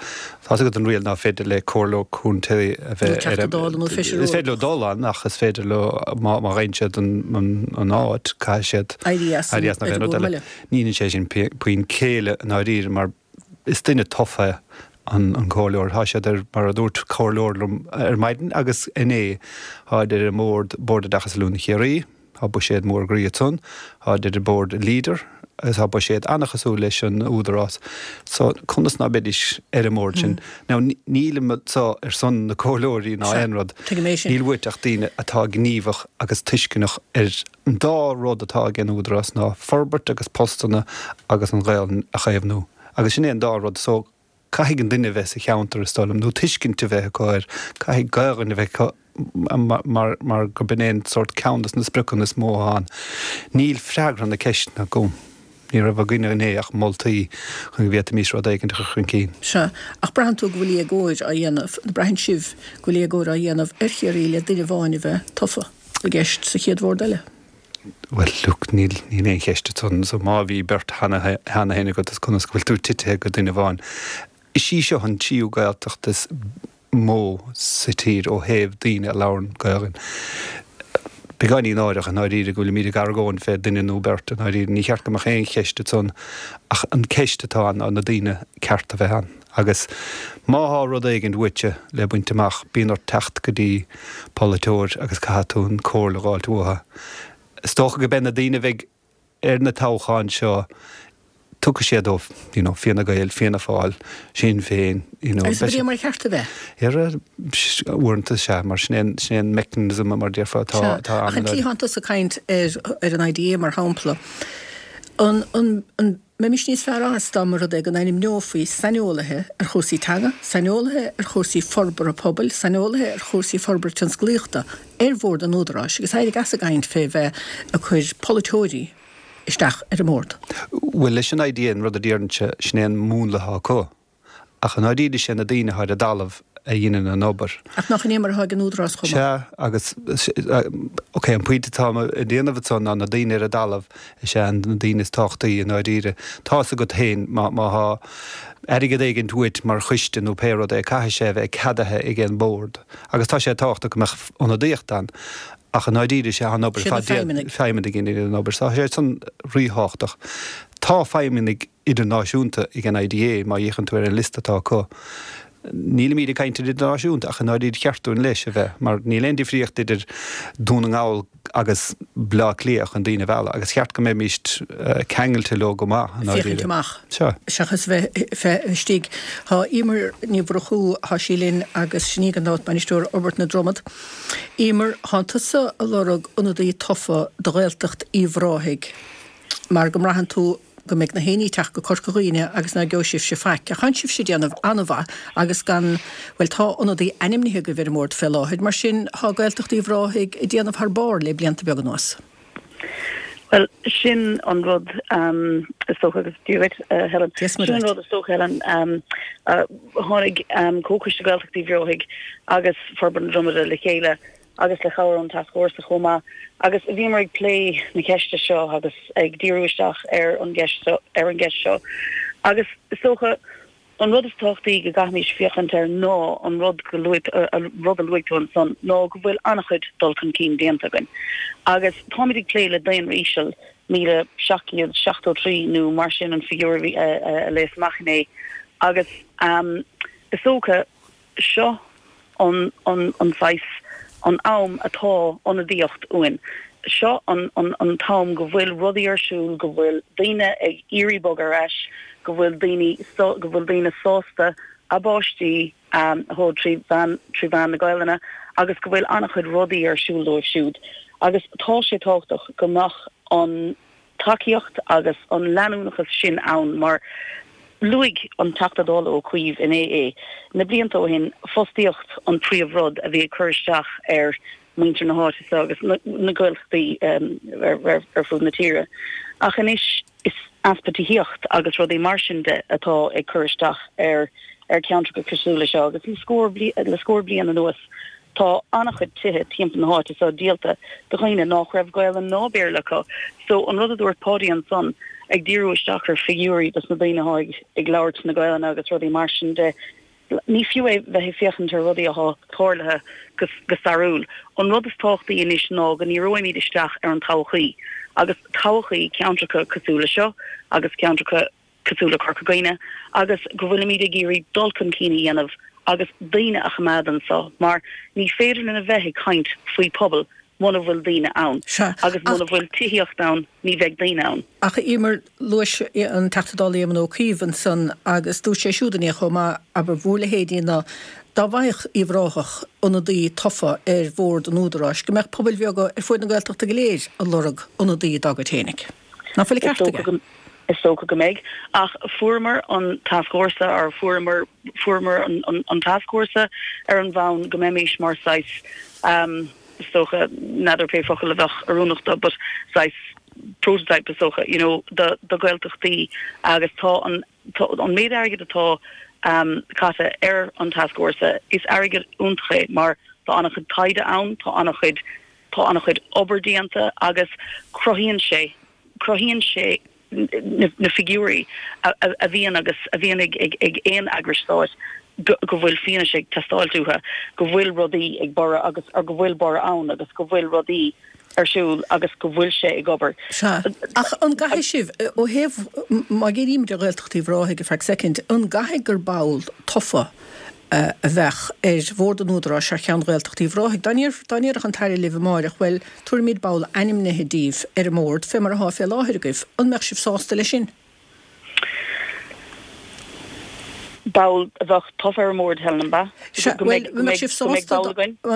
S6: tá's agat an riail ná féidir le comhairleoir contae a bheith
S1: ar an. Nó Teachta Dála nó Feisire
S6: Eorpach. Is féidir leo dul ann ach is féidir leo, má fhaigheann siad an áit, caithfidh siad
S1: éirí as
S6: éirí as nó aon rud eile. Ní dhéanann sé sin puinn céille i ndáiríre mar is duine tofa an comhairleoir. Tá siad ar, mar a dúirt comhairleoir liom ar maidin agus inné, táid ar an mbord, Bord Oideachais Oiliúna Chiarraí. Tá buiséad mór groí ansan. Táid ar an bord Leader agus tá buiséad an-chosúil leis an Údarás. So, conas ná beidís ar an mbord sin? Now, nílim anso ar son na comhairleoirí ná aon rud.
S1: Tuigim é sin.
S6: Níl uait ach daoine atá gníomhach agus tuisceanach ar an dá rud atá ag an Údarás ná forbairt agus postanna agus an Ghaelainn a chaomhnú. Agus sin é an dá rud. So, Caithfidh an duine a bheith sa cheantar, is dóigh liom, nó tuiscint a bheith acu air. Caithfidh Gaelainn a bheith acu mar mar gurb in é an sórt ceann de na spriocanna is mó atá ann. Níl freagra na ceisteanna agam. Ní raibh againne inné ach moltaí chun go bhféadfaimis rud éigin a chur chun cinn.
S1: Sea, ach braitheann tú go bhfuil éagóir á dhéanamh, nó braitheann sibh go bhfuil éagóir á dhéanamh ar Chiarraí le duine amháin a bheith tofa i gceist sa chéad bhord eile?
S6: Bhuel, look, níl, níl aon cheist ansan. So má bhí beirt cheana, cheana féin agat, is conas go bhfuil tú titithe go duine amháin? Is í seo an tríú Gaeltacht is mó sa tír ó thaobh daoine a labhrann Gaelainn. Beagáinín náireach i ndáiríre go bhfuilimid ag argóint fé duine nó beirt i ndáiríre. Ní cheart go mbeadh aon cheist ansan ach an ceist atá ann ná na daoine ceart a bheith ann. Agus má thá rud éigint uaitse le baint amach, bíonn ort teacht go dtí polaiteoir agus caithfidh tú an comhairle a dh'fháilt uathu. Is dócha go beidh na daoine a bheidh ar na toghcháin seo, tiocfaidh siad ó, you know, Fianna Gael, Fianna Fáil, Sinn Féin, you know.
S1: Agus ab é mar cheart a
S6: bheith? Ar uaireanta, sea, mar sin é an, sin é an mechanism mar déarfá atá, atá
S1: ann. Ach an tslí thánn tusa ag caint ar, ar an IDA mar shampla, an, an, an, mbeimis níos fearr as dá mba rud é go n-ainmneofaí saineolaithe ar chúrsaí teanga, saineolaithe ar chúrsaí forbartha pobail, saineolaithe ar chúrsaí forbartha tionsclaíochta ar bhord an Údaráis agus éirigh as ag caint fé bheith ag cur polaiteoirí isteach ar an mbord.
S6: Bhuel, leis an IDA, an rud a déarfainnse, sin é an múnla atá acu. Ach i ndáiríre is é na daoine atá ar an dtalamh a dheineann an obair.
S1: Ach nach in é mar atá ag an Údarás
S6: chomh maith? Sea, agus, ok, an pointe atá mé a dhéanamh ansan ná na daoine ar an dtalamh is ea na daoine is tábhachtaí i ndáiríre. Tá's agat féin, má tá airgead éigint uait mar choiste nó pé rud é, caithfidh sé a bheith ceadaithe ag an bord. Agus tá sé tábhachtach go mbeadh ionadaíocht ann. Ach i ndáiríre is é an obair
S1: ar fad déanta,
S6: feidhmeannaigh a dhéanann an obair. So tá sé san ríthábhachtach. Tá feidhmeannaigh idirnáisiúnta ag an IDA, má fhéachann tú ar an liosta atá acu. Nílimid ag caint ar idirnáisiúnta ach i ndáiríre cheart dúinn leis a bheith, mar níl aon difríocht idir Dún na nGall agus Baile Átha Cliath chun daoine a mhealladh agus cheart go mbeimis ceangailte leo go maith
S1: i ndáiríre. Féachaint amach Sea. seachas bheith istigh. Tá Emer Ní Mhurchú, tá sí linn agus sin í gan dabht Bainisteoir Fhorbairt na Dromad. Emer, thánn tusa ag lorg ionadaí tofa do Ghaeltacht Uíbh Ráthaigh mar go mbraitheann tú go mbeidh na héinní ag teacht go Corca Dhuibhne agus ná geobhaidh sibhse faic. Ach thánn sibhse ag déanamh an-mhaith agus gan, bhuel tá ionadaí ainmnithe agaibh ar an mbord fé láthair, mar sin thá Gaeltacht Uíbh Ráthaigh ag déanamh thar barr le blianta beaga anuas.
S7: Bhuel, sin an rud is dócha agus Dia dhuit, Helen. Sin an rud is dócha, Helen. Tháinig Comhchoiste Gaeltacht Uíbh Ráthaigh agus Forbairt na Dromada le chéile agus le cabhair ón Tascfhórsa chomh maith, agus bhíomar ag plé na ceiste seo agus ag díriú isteach ar an gceist ar an gceist seo. Agus is dócha, an rud is tábhachtaí go gcaithfimís féachaint air ná an rud go luaigh, an rud a luaigh tú ansan, ná go bhfuil an-chuid dul chun cinn déanta againn. Agus táimid ag plé le daonra íseal, 1,773 nó mar sin an figiúr a bhí, a léas amach inné. Agus is dócha, Seo an an saghas, an am atá ionadaíocht uainn. Seo an an t-am go bhfuil rudaí ar siúl, go bhfuil daoine ag iarraidh bogadh ar ais, go bhfuil daoine go bhfuil daoine sásta. A bpáistí atá trí mheán trí mheán na Gaelainne agus go bhfuil an-chuid rudaí ar siúl dóibh siúd agus tá sé tábhachtach go mbeadh an tacaíocht agus an leanúnachas sin ann mar luaigh an Teachta Dála Ó Cuív inné é, na blianta ó shin, fostaíocht an príomh-rud a bhí ag cur isteach ar muintir na háite seo agus na Gaeltachtaí ar fud na tíre. Ach anois is easpa tithíocht agus rudaí mar sin de atá ag cur isteach ar ar ceantracha cosúil le seo agus le scór le scór bliain anuas tá an-chuid tithe timpeall na háite seo díolta do dhaoine nách raibh Gaelainn ná Béarla acu. So an rud a dúirt Páidí ansan ag díriú isteach ar figiúirí dos na daoine atá ag labhairt na Gaelainne agus rudaí mar sin de, Ní fiú é bheith ag féachaint ar rudaí athá tarlaithe go stairiúil. An rud is tábhachtaí anois ná go ndíreoimid isteach ar an todhchaí, agus todhchaí ceantracha cosúil le seo agus ceantracha cosúil le Corca Dhuibhne, agus go bhfuilimid ag iarraidh dul chun cinn a dhéanamh agus daoine a choimeád anso, mar ní féidir linn a bheith ag caint faoi pobal muna bhfuil daoine ann, agus muna bhfuil tithíocht ann, ní bheidh daoine ann.
S1: Ach a Emer, luais an Teachta Dála Éamon Ó Cuív ansan agus dúirt sé siúd inné chomh maith, abair, bhur leithéidí ná dá bhfaigheadh Uíbh Ráthach ionadaí tofa ar bhord an Údaráis, go mbeadh pobail bheaga ar fuaid na Gaeltachta go léir ag lorg ionadaí dá gcuid fhéinig. Ná fuil an ceart aige?
S7: Is dócha go mbeidh. Ach fuaireamar an tascfhórsa, or fuaireamar, fuaireamar an tascfhórsa ar an bhonn go mbeimis mar saghas, is dócha, n'fheadar pé focal a bheadh oiriúnach dó, but saghas prototype is dócha, you know, do do Ghaeltachtaí agus tá an tá an méid airgid atá caite ar an tascfhórsa, is airgead iontach é mar tá an-chuid taighde ann, tá an-chuid tá an-chuid obair déanta agus cruthaíonn sé cruthaíonn sé na figiúirí a bhíonn agus a bhíonn ag aon eagrais stáit go bhfuil fianaise ag teastáilt uathu go bhfuil rudaí ag borradh agus or go bhfuil borradh ann agus go bhfuil rudaí ar siúl agus go bhfuil sé ag obair.
S1: Sea. Ach an gcaithfidh sibh, ó thaobh, má dhírímid ar Ghaeltacht Uíbh Ráthaigh ar feadh soicind, an gcaithfidh gur ball tofa a bheadh ar Bhord an Údaráis thar cheann Ghaeltacht Uíbh Ráthaigh. Dá ndéarfadh an tAire libh amáireach, bhuel, tabharfaimid ball ainmnithe díbh ar an mBord, fé mar athá fé láthair agaibh, an mbeadh sibh sásta leis sin?
S7: Ball a bheadh tofa ar an mBord, Helen, an
S1: ea? Sea, bhuel, an mbeadh sibh sásta,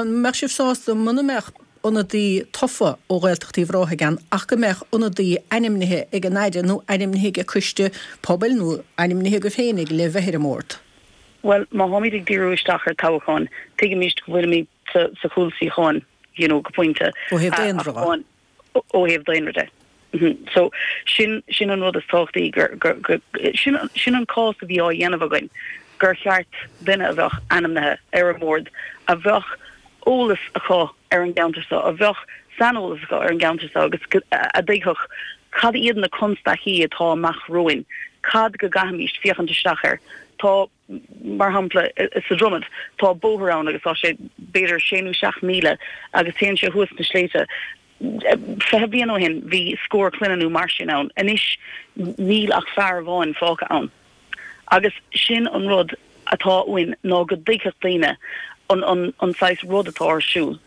S1: an mbeadh sibh sásta muna mbeadh ionadaí tofa ó Ghaeltacht Uíbh Ráthaigh ann ach go mbeadh ionadaí ainmnithe ag an Aire nó ainmnithe ag coiste pobail nó ainmnithe agaibh féinig le bheith ar an mBord?
S7: Bhuel, má tháimid ag díriú isteach ar toghcháin, tuigimist go bhfuilimid sa sa chúlsuíochán, you know, go pointe.
S1: Ó thaobh daonra
S7: de. Ó thaobh daonra de. So, sin, sin an rud is tábhachtaí gur, gur, gur, sin, sin an cás a bhí á dhéanamh againn, gur cheart duine a bheadh ainmnithe ar an mbord, a bheadh eolas acu ar an gceantar seo, a bheadh saineolas acu ar an gceantar seo agus a dtuigfeadh cad iad na constaicí atá amach romhainn, cad go gcaithfimís féachaint isteach air. Tá, mar shampla, sa Dromad, tá bóthar ann agus tá sé b'fhéidir sé nó 7 míle agus téann sé thuas na sléibhte. 20 bliain ó shin bhí scór clainne nó mar sin ann, anois níl ach fear amháin fágtha ann. Agus sin an rud atá uainn ná go dtuigfeadh daoine an an an saghas rud atá ar siúl.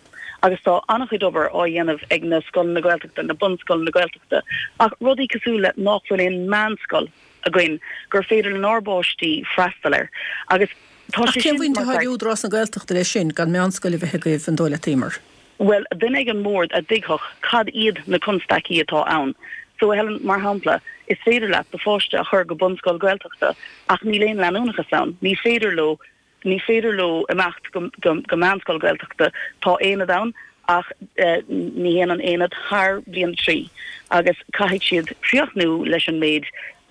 S7: Agus tá an-chuid obair á dhéanamh ag na scoileanna Gaeltachta, na bunscoileanna Gaeltachta, ach rudaí cosúil le nach bhfuil aon meánscoil againn gur féidir lenár bpáistí freastal air. Agus
S1: tá sé sin mar. Ach cén bhaint atá ag Údarás na Gaeltachta leis sin, gan meánscoil a bheith agaibh, an dóigh leat, Emer?
S7: Bhuel, duine ag an mbord a dtuigfeadh cad iad na constaicí atá ann. So, a Helen, mar shampla, is féidir leat do pháiste a chur go bunscoil Gaeltachta ach níl aon leanúnachas ann. Ní féidir leo, ní féidir leo imeacht go, go, go meánscoil Gaeltachta. Tá aonad ann ach ní théann an aonad thar bliain a 3 agus caithfidh siad críochnú leis an méid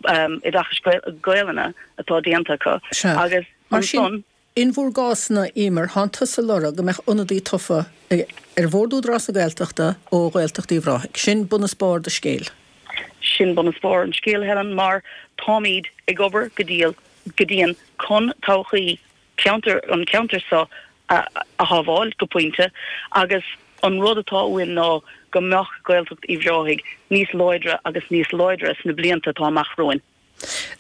S7: oideachais Gaelainne atá déanta acu
S1: agus ansan. In bhur gcás-na, Emer, thánn tusa ag lorg go mbeadh ionadaí tofa ar Bhord Údarás na Gaeltachta ó Ghaeltacht Uíbh Ráthaigh. Sin bun is barr do scéil.
S7: Sin bun is barr an scéil, Helen, mar táimid ag obair go diail, go dian chun todhchaí cheantar, an cheantair seo a shábháil, go pointe, agus an rud atá uainn ná go mbeadh Gaeltacht Uíbh Ráthaigh níos láidre agus níos láidre sna blianta atá amach romhainn.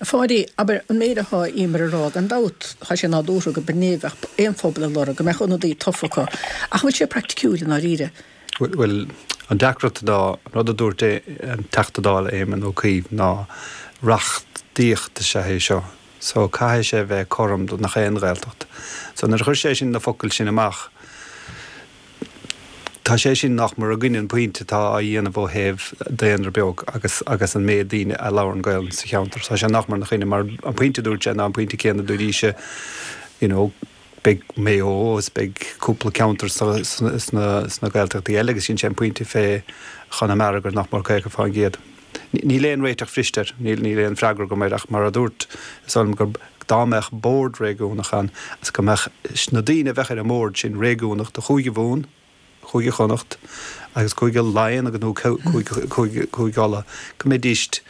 S1: A Pháidí, abair, an méid athá Emer a rá, gan dabht, thá sé nádúrtha go b'in é a bheadh aon phobal ag lorg, go mbeadh ionadaí tofa acu. Ach an bhfuil sé praiticiúil i ndáiríre?
S6: Bhuel, an deacracht ná, an rud a dúirt an Teachta Dála Éamon Ó Cuív ná reachtaíocht is ea é seo. So caithfidh sé bheith cothrom do nach aon Ghaeltacht. So nuair a chuir sé sin na focail sin amach, tá sé sin nach mór i gcoinne an pointe atá á dhéanamh ó thaobh daonra beag agus agus an méid daoine a labhrann Gaelainn sa cheantar. Tá sé nach mór ina choinne mar an pointe a dúirt sé ná an pointe céanna a dúraíse, you know, beidh Maigh Eo is beidh cúpla ceantar sna Gaeltachtaí eile agus sin sé an pointe fé Chonamara gur nach mór 50%. Níl aon réiteach bhriste air, níl aon freagra agam air ach mar a dúirt, is dóigh liom gur dá mbeadh bord réigiúnach ann is go mbeadh na daoine a bheadh ar an mbord sin réigiúnach do Chúige Mhumhan, Cúige Chonnacht agus Cúige Laighean agus nó Cúige Uladh, go mbeidís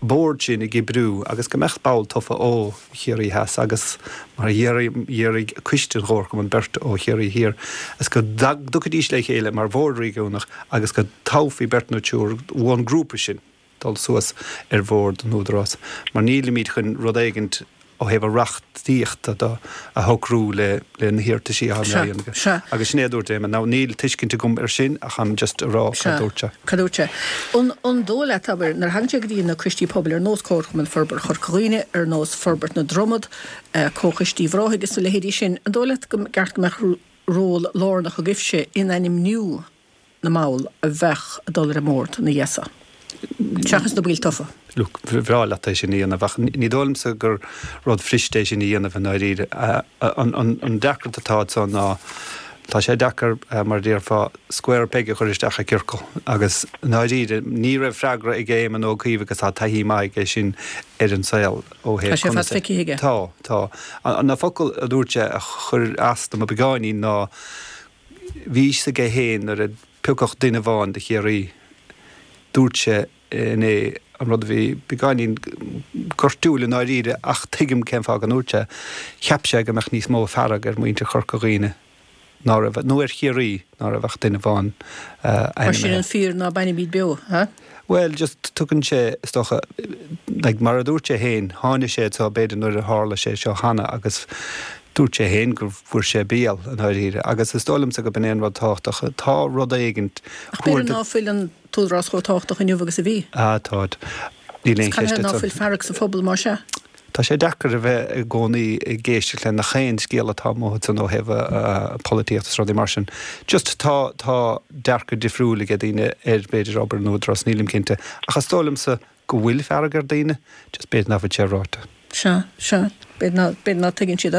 S6: bord sin ag oibriú agus go mbeadh ball tofa ó Chiarraí Theas agus mar a d'iarraidh Coiste an Chomharchumainn beirt ó Chiarraí Thiar is go dtiocfaidís le chéile mar bhord réigiúnach agus go dtoghfaí beirt nó triúr ón ngrúpa sin. dul suas ar bhord an Údarás, mar nílimid chun rud éigint ó thaobh a reachtaíochta de a shocrú le na hiarrataisí atá á dhéanamh aige. Agus sin é a dúirt Éamon. Now níl tuiscint agam ar sin ach I'm just a rá cad dúirt sé.
S1: Cad dúirt sé? An dóigh leat, abair, nuair a thagann sé go dtí na coistí pobail ar nós Comharchumann Forbartha Chorca Dhuibhne, ar nós Forbairt na Dromad, Comhchoiste Uíbh Ráthaigh is na leithéidí sin, an dóigh leat go gceart go mbeadh ról lárnach agaibhse in ainmniú na mball a bheadh ag dul ar an mbord ina dhiaidh so, seachas na baill tofa.
S6: Look, ba bhreá leat é sin a dhéanamh ach ní dóigh liomsa gur rud fuiriste é sin a dhéanamh i ndáiríre. An deacracht atá anso ná tá sé deacair, mar a déarfá, square peg a chur isteach i gciorcal agus i ndáiríre ní raibh freagra ag Éamon Ó Cuív agus tá taithí maith aige sin ar an saol ó thaobh
S1: Tá sé fad feicthe aige.
S6: Tá, tá. Na focail a dúirt sé a chuir as dom beagáinín ná Bhí fhios aige fhéin nuair a piocadh duine amháin do Chiarraí. Dúirt sé inné an rud a bhí beagáinín gortúil i ndáiríre ach tuigim cén fáth go ndúirt sé. Cheap sé go mbeadh níos mó fearg ar mhuintir Chorca Dhuibhne ná raibh, nó ar Chiarraí ná raibh ach duine amháin
S1: Mar sin
S6: ainmnithe.
S1: an fíor ná bainimid beo, ha?
S6: Bhuel, just tugann sé, is dócha, like, mar a dúirt sé féin, tháinig sé anseo b'fhéidir nuair a tharla sé seo cheana agus dúirt sé féin go bhfuair sé béal i ndáiríre agus is dóigh liomsa go b'in é an rud tábhachtach. Tá rud éigint,
S1: Ach b'fhéidir ná fuil an t-údarás chomh tábhachtach inniu agus a bhí.
S6: Ah, tá. Níl aon
S1: Is
S6: cheist
S1: canathaobh ná
S6: ansan.
S1: fuil fearg sa phobal más ea?
S6: Tá sé deacair a bheith i gcónaí ag éisteacht le nach aon scéal atá amuigh ansan ó thaobh polaitíochta is rudaí mar sin. Just tá, tá dearcadh difriúil ag daoine ar b'fhéidir obair an Údarás, nílim cinnte. Ach is dóigh liomsa go bhfuil fearg ar daoine, just b'fhéidir nach bhfuil sé ráite.
S1: Sea, sea. B'fhéidir ná, b'fhéidir ná tuigeann siad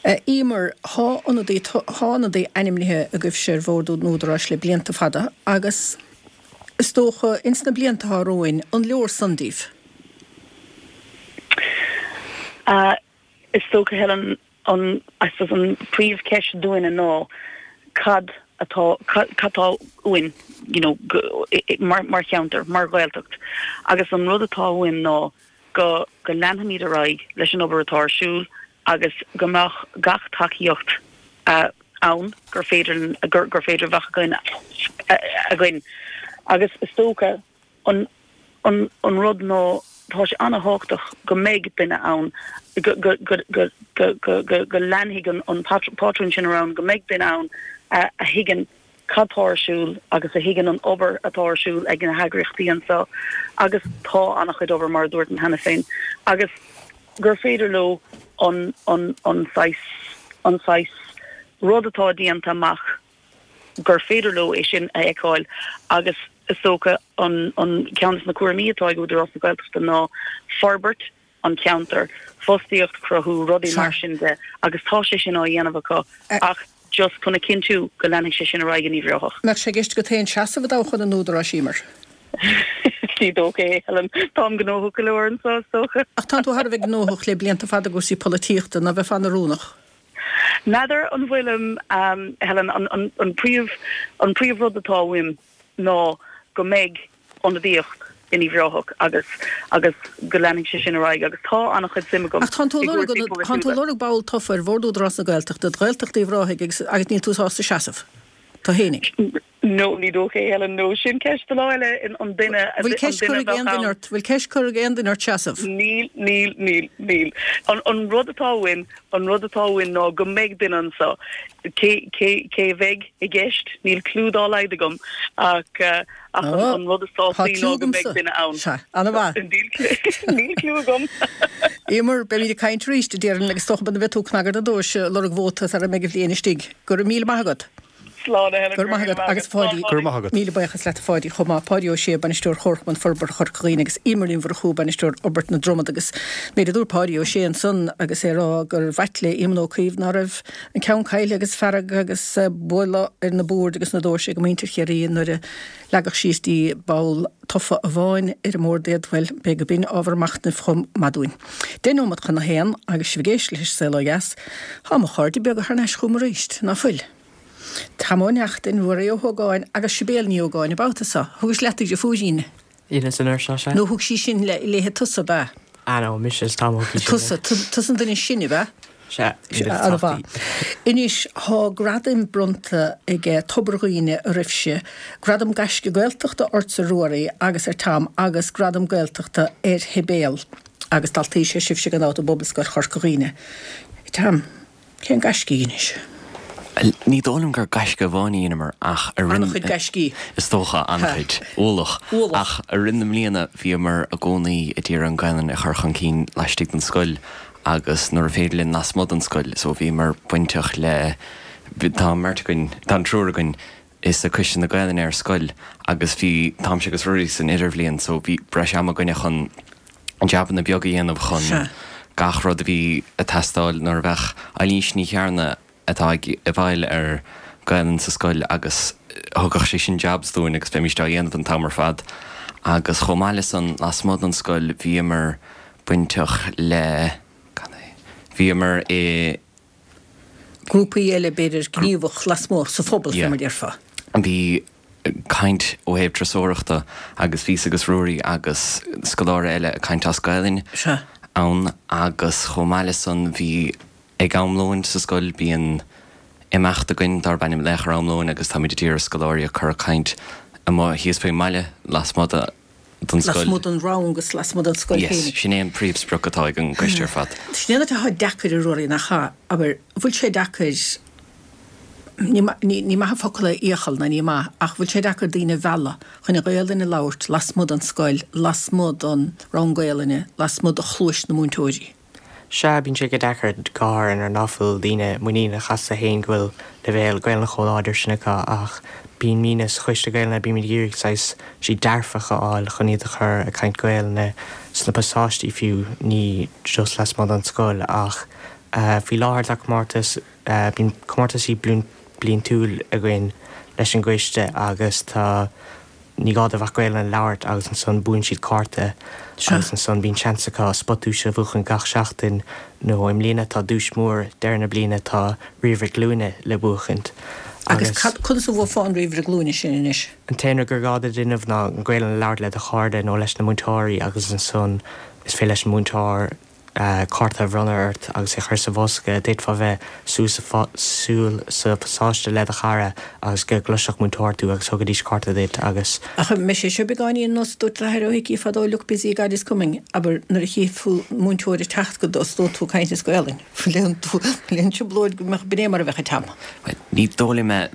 S1: é. Eimear, thá ionadaí, thá ionadaí ainmnithe agaibhse ar bhord an Údaráis le blianta fada agus is dócha ins na blianta atá romhainn, an leor san daoibh?
S7: Is dócha, Helen, an, I suppose, an príomhcheist dúinne ná cad atá, cad atá uainn, you know, mar, mar cheantar, mar Ghaeltacht. Agus an rud atá uainn ná go, go leanfaimid ar aghaidh leis an obair atá ar siúl agus go mbeadh gach tacaíocht ann gur féidir, gur, gur féidir a bheadh againn, againn. Agus is dócha, An an rud ná tá sé an-thábhachtach go mbeidh duine ann, go go go go go go go leanfaidh an pátrún sin ar ann, go mbeidh duine ann a thuigeann cad tá ar siúl agus a thuigeann an obair atá ar siúl ag na heagraíochtaí anseo agus tá an-chuid obair mar a dúirt mé cheana féin agus gur féidir leo an an an saghas an saghas rud atá déanta amach gur féidir leo é sin a fheiceáil agus is dócha an ceann de na cúraimí atá ag Údarás na Gaeltachta ná forbairt an cheantair, fostaíocht a chruthú, rudaí mar sin de agus tá sé sin á dhéanamh acu ach just chun a chinntiú go leanfaidh sé sin ar aghaidh in Uíbh Ráthach.
S1: Mbeadh sé i gceist agat féin seasamh i dtoghchán an Údaráis, Eimear?
S7: Ní dócha é, Helen. Táim gnóthach go leor anseo, is dócha.
S1: Ach tánn tú thar a bheith gnóthach le blianta fada i gcúrsaí polaitíochta, ná bheifeá an-oiriúnach?
S7: N'fheadar an bhfuilim, Helen, an príomh, an príomh rud atá uaim ná go mbeidh ionadaíocht in Uíbh Ráthach agus, agus go leanfaidh sé sin ar aghaidh agus tá an-chuid suim agam
S1: Ach tánn tú
S7: i
S1: ag lorg,
S7: gcúrsaí
S1: tánn tú ag
S7: polaitiúla.
S1: lorg ball tofa ar Bhord Údarás na Gaeltachta do Ghaeltacht Uíbh Ráthaigh agus, agus níl tú sásta seasamh. Tú fhéinig.
S7: No, ní dócha é, Helen, no. Sin ceist do lá eile, an duine a
S1: Bhfuil ceist curtha ag
S7: bheadh
S1: aon duine
S7: ann.
S1: ort, bhfuil ceist curtha ag aon duine ort seasamh?
S7: Níl, níl, níl, níl. An, an rud atá uainn, an rud atá uainn ná go mbeidh duine anseo. Cé, cé, cé a bheidh i gceist, níl cliú dá laghad agam, ach, ach an, an rud is
S1: Tá
S7: tábhachtaí
S1: cliú
S7: ná go mbeidh
S1: agamsa.
S7: duine ann.
S1: Sea, an-mhaith.
S7: Níl cliú, níl cliú agam.
S1: Eimear, beimid ag caint arís, déarfainn, agus is dócha muna mbeidh tú ag cnagadh an dorais ag lorg vóta sara mbeidh an bhliain istigh. Go raibh míle maith agat.
S7: Slán a Helen,
S1: Go raibh maith agat agus a Pháidí.
S6: Go raibh maith agat.
S1: Míle buíochas leat a Pháidí chomh maith. Páidí Ó Sé, Bainisteoir Chomharchumann Forbartha Chorca Dhuibhne agus Eimear Ní Mhurchú, Bainisteoir Fhorbairt na Dromad agus méid a dúirt Páidí Ó Sé ansan agus é ag rá gur b'ait le Éamon Ó Cuív ná raibh an ceann caillte agus fearg agus bualadh ar na boird agus na doirse ag muintir Chiarraí nuair a leagadh síos dtí ball tofa amháin ar an mbord iad, bhuel, b'fhéidir go b'in ábhar machnaimh chomh maith dúinn. 10 nóiméad chun a haon agus sibh ag éisteacht leis Saol Ó Dheas. Tá mo chairde beaga thar n-ais chugam arís, ná fuil? Tom Ó Neachtain, Ruairí Ó hÓgáin agus Sibéal Ní Ógáin an babhta seo. Thugais leat do dheirfiúirín?
S8: Dheineas an uair seo, sea.
S1: Nó thug sí sin léithe tusa, ab ea?
S8: Ah no, mise is Tom a thug í sin
S1: Tusa, tusa an duine is sine, ab ea?
S8: Sea,
S1: An-mhaith. Anois, thá gradaim bronnta ag Tobar Dhuibhne oraibhse, Gradam Gaisce Gaeltachta ortsa Ruairí agus ar Tom agus Gradam Gaeltachta ar Shibéal agus daltaí is ea sibhse gan dabht i bPobalscoil Chorca Dhuibhne. Tom, cén gaisce a dheinis?
S9: Ní dóigh liom gur gaisce amháin a dheineamar ach i rith.
S1: An-chuid gaiscí.
S9: Is dócha, an-chuid. Ualach.
S1: Ualach.
S9: Ach i rith na mbliana bhíomar i gcónaí ag iarraidh an Ghaelainn a chur chun cinn laistigh den scoil agus nuair a féidir linn lasmuigh den scoil. So bhíomar bainteach le, tá an mbeirt againn, tá an triúr againn i sa Coiste na Gaelainne ar scoil agus bhí, Táimse agus Ruairí san idirbhliain so bhí breis ama againne chun jabanna beaga a dhéanamh chun gach rud a bhí ag teastáil nuair a bheadh Eilís Ní Chearna atá ag i bhfeighil ar Gaelainn sa scoil agus thugadh sé sin jobs dúinn agus bheimíst á dhéanamh an t-am ar fad agus chomh maith le san lasmuigh den scoil bhíomar bainteach le, cad é, bhíomar i.
S1: grúpaí eile b'fhéidir gníomhach lasmuigh sa phobal fé mar déarfá.
S9: Bhí caint ó thaobh turasóireachta agus bhíos agus Ruairí agus scoláire eile ag caint as Gaelainn ann agus chomh maith le san bhí Ag am lóin sa scoil bíonn imeacht againn darb ainm Laoch ar Am Lóin agus táimid ag iarraidh scoláirí a chur ag caint amuigh thíos faoin mbaile lasmuigh den scoil.
S1: Lasmuigh den rang agus lasmuigh den scoil
S9: Yes,
S1: féinig.
S9: sin é an príomhsprioc atá ag an gcoiste ar fad.
S1: Sin é an áit atá deacair a Ruairí, nach ea? Abair, bhfuil sé deacair, ní ní maith an focal é iachall ná ní maith, ach bhfuil sé deacair daoine a mhealladh chun an Ghaelainn a labhairt lasmuigh den scoil, lasmuigh den rang Gaelainne, lasmuigh de chluais na múinteoirí?
S8: Sea, bíonn sé go deacair, go háirithe nuair ná fuil daoine muiníneach astu féin go bhfuil leibhéal Gaelainne chomh láidir sin acu ach bímidne sa Choiste Gaelainne, bímid ag iarraidh saghas rudaí dearfach a fháil chun iad a chur ag caint Gaelainne sna pasáistí fiú, ní just lasmuigh den scoil ach faoi láthair tá comórtas, bíonn comórtaisí bliantúil againn leis an gcoiste agus tá. Ní gá dóibh ach Gaelainn a labhairt agus ansan buann siad cárta agus ansan bíonn seans acu spota duaise a bhuachan gach seachtain nó i mbliana tá duais mór deireadh na bliana tá ríomhaire glúine le buachaint
S1: Agus cad, conas a bhuafá an ríomhaire glúine sin anois?
S8: An t-aon rud gur gá duit a dhéanamh ná an Ghaelainn a labhairt le do chairde nó leis na múinteoirí agus ansan is féidir leis an múinteoir cárta a bhronnadh ort agus é a chur sa bhosca. D'fhéadfá bheith suas siúl sa phasáiste le do chara agus go gcloisfeadh múinteoir tú agus thugaidís cárta duit agus.
S1: Ach an mbeidh sé seo beagáinín ar nós a dúirt d'athair Ó hIcí fadó look busy God is coming, abair nuair a chífidh tú múinteoir ag teacht go dtosnóidh tú ag caint as Gaolainn. Bhfuil aon trioblóid go mbeadh, b'in é mar a bheadh ag Tom.
S9: Ní dóigh liom é.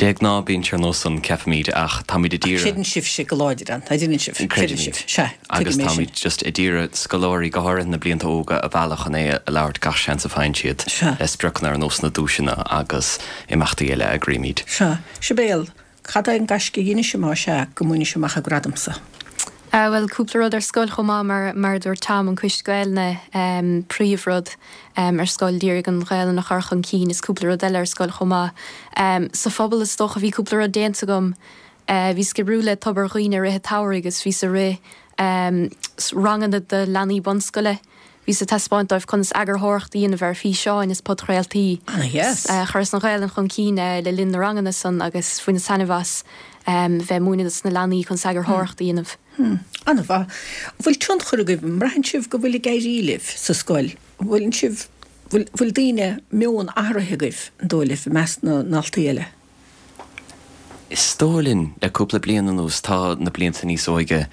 S9: De ghnáth bíonn sé ar nós san, ceapaimid, ach táimid ag
S1: iarraidh. Creideann sibhse go láidir ann, tá deineann sibh, creideann
S9: Creidimid.
S1: sibh, sea,
S9: Agus
S1: tuigim é sin.
S9: táimid just ag iarraidh scoláirí, go háirithe na blianta óga, a mhealladh chun é a labhairt gach seans a faigheann siad,
S1: Sea.
S9: le spriocanna ar nós na duaiseanna agus imeachtaí eile a eagraímid.
S1: Sea. Sibéal, cad é an gaisce a dheinis más ea go mbainis amach an gradam so?
S4: Bhuel, cúpla rud ar scoil chomh maith, mar mar a dúirt Tom, an Coiste Gaelainne, príomhrud ar scoil, d'iarraidh an Ghaelainn a chur chun cinn is cúpla rud eile ar scoil chomh maith. Sa phobal is dócha bhí cúpla rud déanta agam. Bhíos ag oibriú le Tobar Dhuibhne i rith an tsamhraidh agus bhíos ag rith ranganna do leanaí bunscoile. Bhíos ag taispeáint dóibh conas eagarthóireacht a dhéanamh ar fhíseáin is podchraoltaí.
S1: Ana-dheas.
S4: Chuireas an Ghaelainn chun cinn le linn na ranganna san agus bhaineas taitneamh as bheith ag múineadh dos na leanaí conas eagarthóireacht a dhéanamh.
S1: An-mhaith. An bhfuil tionchar agaibh, an mbraitheann sibh go bhfuil ag éirí libh sa scoil? An bhfuileann sibh, bhfuil, bhfuil daoine, meon athraithe agaibh, an dóigh libh, i measc na ndaltaí eile?
S9: Is dóigh linn, le cúpla bliain anuas, tá na blianta níos óige,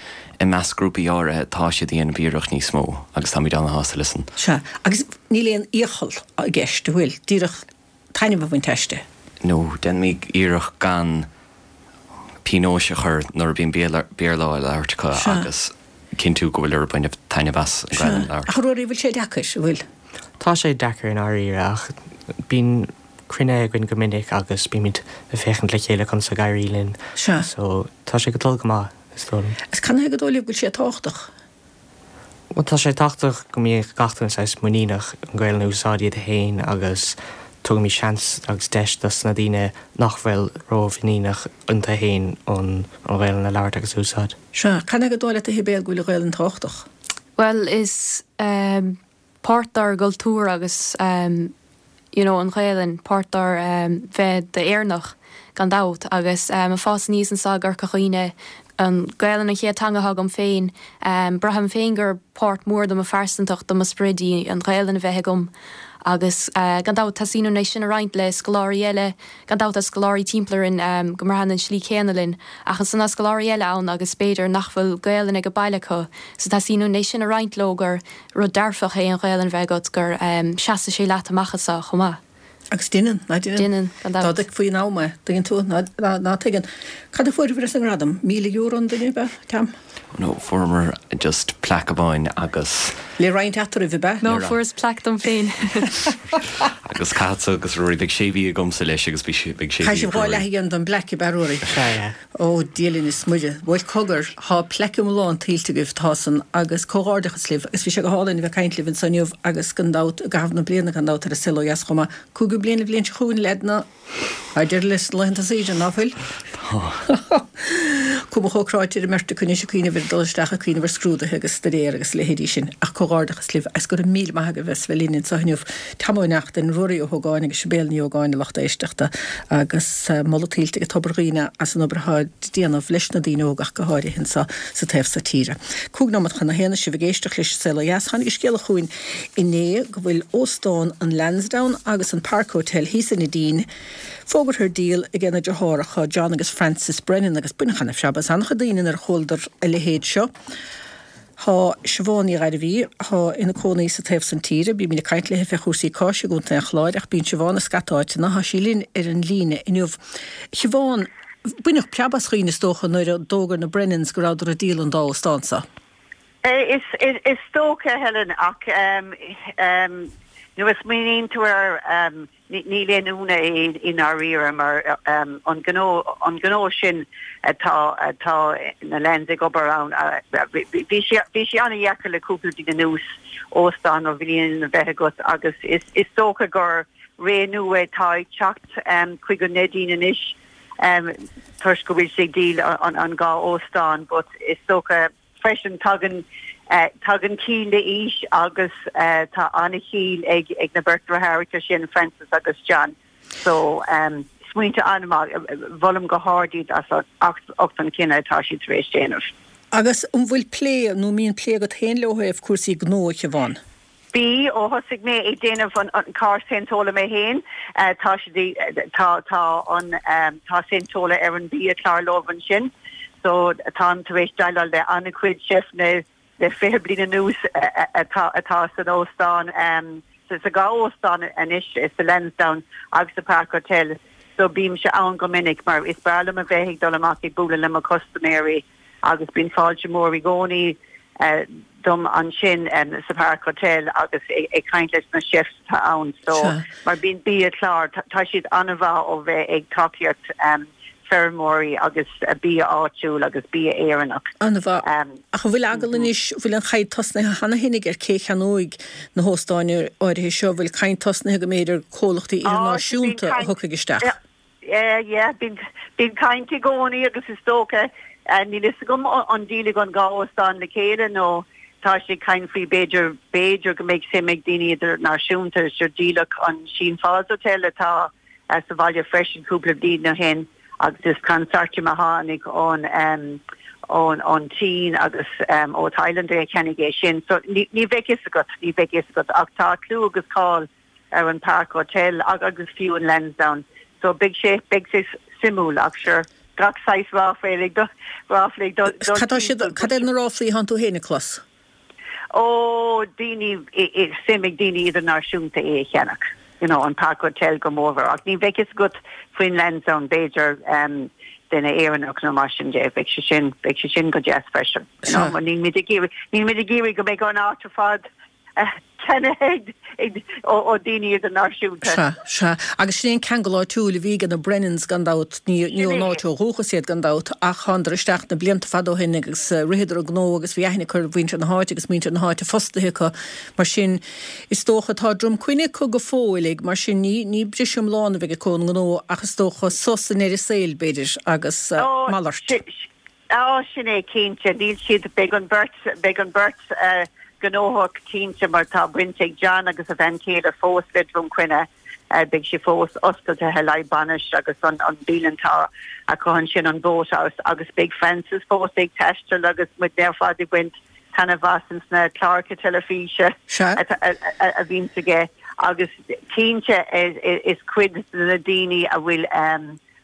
S9: i measc grúpaí áirithe, tá siad a dhéanamh iarracht níos mó agus táimid ana-shásta leis san.
S1: Sea, agus níl aon iachall i gceist, an bhfuil? Díreach taitneamh a bhaint aisti.
S9: No, déanaimid iarracht gan pionóis a chur nuair a bhíonn Béarla á labhairt acu agus cinntiú go bhfuil ag baint taitneamh as an
S1: Ghaelainn a labhairt. Ach a Ruairí, bhfuil sé deacair, an bhfuil?
S8: Tá sé deacair i ndáiríre ach bíonn cruinnithe againn go minic agus bímid ag féachaint le chéile conas ag éirí linn.
S1: Sea.
S8: So tá sé ag dul go maith, is dóigh liom.
S1: Agus canathaobh gur dóigh libh go bhfuil sé tábhachtach?
S8: Bhuel tá sé tábhachtach go mbíodh gach duine saghas muiníneach an Ghaelainn a úsáid iad féin agus tugaimid seans agus deis dos na daoine nach bhfuil ró-mhuiníneach iontu féin an Ghaelainn a labhairt agus a úsáid.
S1: Sea. Canathaobh gur dóigh leat a Shibéal go bhfuil an Ghaelainn tábhachtach?
S4: Bhuel is páirt dár gcultúr agus you know an Ghaelainn, páirt dár bheith d'Éireannach gan dabht agus ag fás aníos anseo i gCorca Dhuibhne, an Ghaelainn an chéad teanga atá agam féin, braithim féin gur páirt mór de mo phearsantacht, de mo sprid í an Ghaelainn a bheith agam agus gan dabht teastaíonn uainn é sin a roinnt le scoláirí eile, gan dabht tá scoláirí timpeall orainn go mbraitheann an slí céanna linn ach ansan tá scoláirí eile ann agus b'fhéidir nach bhfuil Gaelainn ag baile acu so teastaíonn uainn é sin a roinnt leo gur rud dearfach é an Ghaelainn bheith agat, gur seasfaidh sé leat amach anseo chomh maith.
S1: Agus deineann, ná deineann?
S4: Deineann, gan
S1: dabht. Dá dtuigfí in am é, tuigeann tú, ná, ná tuigeann. Cad a fuaireabhair as an ngradam? €1,000 an duine, ab ea, Tom?
S9: No, fuaireamar just plaic amháin agus.
S1: Le roinnt eatarthu, ab ea?
S4: No, fuaireas plaic dom féin.
S9: Agus caithfeadsa agus Ruairí, beidh sé mhí agamsa leis agus beidh sé mhí ag
S1: Caithfidh sibh dhá Ruairí. leath a dhéanamh den bplaic, ab ea, Ruairí?
S8: Sea, yeah.
S1: Ó, Dia linn is Muire. Bhuel, cogar, thá plaic iomlán tuillte agaibh, tá san, agus comhghairdeachas libh, agus bhí sé go hálainn a bheith ag caint libh anso inniu agus gan dabht, i gcaitheamh na bliana gan dabht, ar An Saol Ó Dheas chomh maith. Cúigiú bliain an bhliain seo chugainn, leaideanna, tá deireadh leis na laethanta saoire, ná fuil?
S9: Tá.
S1: Cuma chomh cráite ar an mbeirt acu anois ag cuimhneamh ar dul isteach ag cuimhneamh ar scrúduithe agus staidéar agus a leithéidí sin. Ach comhghairdeachas libh agus go raibh míle maith agaibh as bheith linn anso inniu. Tom Ó Neachtain, Ruairí Ó hÓgáin agus Sibéal Ní Ógáin, a lucht éisteachta, agus moladh tuillte ag Tobar Dhuibhne as an obair atá ag déanamh leis na daoine óga ach go háirithe anso sa taobh so tíre. Cúig nóiméad chun a haon is sibh ag éisteacht leis An Saol Ó Dheas. Tháinig an scéala chugainn inné go bhfuil Óstán an Lansdowne agus an Park Hotel thíos i Neidín fógartha ar díol ag na deartháireacha John agus Francis Brennan agus baineadh ana-phreab as an-chuid daoine nuair a chualadar a leithéid seo. Tá Siobhán Ní Ghairbhí, atá ina cónaí sa taobh san tíre, bímid ag caint léi fé chúrsaí cáis i gContae an Chláir ach bíonn Siobhán i scata áiteanna, tá sí linn ar an líne inniu. A Shiobhán, baineadh preab as dhaoine is dócha nuair a d'fhógair na Brennans go rabhadar ag díol an dá óstán seo.
S10: Is dócha, a Helen, ach nuair a smaoiníonn tú air, Níl aon ionadh é i ndáiríre mar an gnó, an gnó sin atá, atá na Lands ag obair ann, bhí sé, bhí sé an-dheacair le cúpla bliain anuas óstán an-bhliain a bheith agat agus is, is dócha gur ré nua atá ag teacht chuig an Neidín anois toisc go bhfuil sé ag díol an, an dhá óstán but is dócha Freisin, tagann tagann ciall le haois agus tá an-chiall ag ag na beirt deartháireacha sin, Francis agus John. So, smaointe an-mhaith, mholaim go hard iad as ucht an cinneadh atá siad tar éis déanamh.
S1: Agus an bhfuil plé, nó an mbíonn plé agat féin leo ó thaobh cúrsaí gnó, a Shiobhán?
S10: Bhí, ó thosaigh mé ag déanamh an carr sainteála mé féin, tá siad, tá, tá an, tá sainteála ar an bia-chlár leo ansin. So táim tar éis déileáil le an-chuid cheifanna le 20 bliain anuas atá, atá san óstán, sa dhá óstán anois, sa Lansdowne agus sa Park Hotel. So bímse ann go minic mar is breá liom a bheith ag dul amach ag bualadh le mo chustaiméirí. agus bíonn fáilte mór i gcónaí dom ansin sa Park Hotel agus ag caint leis na chefs atá ann so mar bíonn bia-chlár, tá siad an-mhaith ó bheith ag tacaíocht feirmeoirí agus bia áitiúil agus bia Éireannach.
S1: An-mhaith. Ach an bhfuil eagal anois, an bhfuil an chaint tosnaithe cheana féin ar cé cheannóidh na hóstáin áirithe seo, an bhfuil caint tosnaithe go mb'fhéidir comhlachtaí idirnáisiúnta a thiocfaidh isteach?
S10: Yeah, yeah, bíonn, bíonn caint i gcónaí agus is dócha, níl fhios agam an díolfaidh an dhá óstán le chéile nó tá siad ag caint faoi b'fhéidir, b'fhéidir go mbeidh suim ag daoine idirnáisiúnta, sure díoladh an Sheen Falls Hotel atá sa bhaile freisin cúpla bliain ó shin agus is consortium a tháinig ón, ón, ón tSín agus ó Thailand a cheannaigh é sin. So ní, ní bheidh fhios agat, ní bheidh fhios agat ach tá clú agus cáil ar an Park Hotel agus fiú an Lansdowne so beidh sé, beidh sé suimiúil ach sure. gach saghas ráflaí ag dul, ráflaí ag dul
S1: Cad tá siad,
S10: timpeall.
S1: cad é na ráflaí atánn tú féin ag clos?
S10: Ó, daoine, suim ag daoine idirnáisiúnta é a cheannach, you know, an Park Hotel go mórmhór, ach ní bheidh fhios agat faoin Lansdowne, b'fhéidir duine Éireannach nó mar sin de, bheadh sé sin, bheadh sé sin go deas freisin, you know, mar níl muid ag iarraidh, níl muid ag iarraidh go mbeidh an áit ar fad ceannaithe ag, ó daoine idirnáisiúnta.
S1: Sea, sea. Agus sin é an ceangal áitiúil a bhí ag na Brennans gan dabht, ní, ní ón áit ó dhúchas iad gan dabht, ach thánadar isteach na blianta fada ó shin agus ritheadar an gnó agus bhí aithne acu ar mhuintir na háite agus muintir na háite fostaithe acu. Mar sin, is dócha, tá Droim Cuinne acu go fóill ag, mar sin ní, ní briseadh iomlán a bheidh acu ón ngnó ach is dócha sos i ndeireadh saoil, b'fhéidir, agus malairt.
S10: Á, sin é, cinnte. Níl siad, beidh an bheirt, beidh an bheirt gnóthach cinnte mar tá baint ag John agus a bhean chéile fós le Droim Cuinne. Beidh sé fós oscailte le haghaidh bainis agus an an bialann atá acu ansin, an Boathouse, agus beidh Francis fós ag taisteal agus muidne ar fad ag baint taitneamh as ins na cláracha teilifíse a bhíonns aige agus cinnte is cuid de na daoine a bhfuil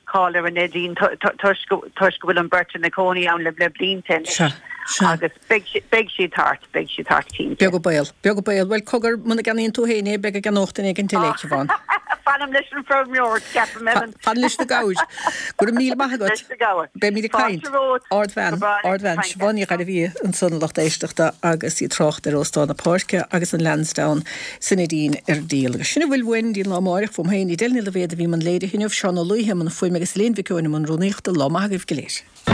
S10: cáil ar an Neidín toisc go bhfuil an bheirt ina cónaí ann le blianta anois agus beidh siad thart, beidh siad thart cinnte.
S1: Beag an baol, beag an baol. Bhuel, cogar, muna gceannaíonn tú féin é, beidh á gceannódh duine éigin eile, a Shiobhán.
S10: Fanaim leis an bhfeirmeoir, ceapaim, Ellen.
S1: Fan leis na gabhair. Go raibh míle maith agat.
S10: Leis na gabhair.
S1: Beimid ag caint.
S10: Fáilte romhat.
S1: Ardbhean, ardbhean. Siobhán Ní Ghairbhí ansan, a lucht éisteachta, agus í ag trácht ar Óstán na Páirce agus an Lansdowne. San Neidín ar díol. Agus sin a bhfuil uainn dtí'n lá amáireach, fúm féin, Edel Ní Loibhéad a bhí i mbun léirithe inniu, Seán Ó Laoithe i mbun fuaime agus Elaine Mhic Eoin i mbun rúnaíochta. Lá maith agaibh go léir.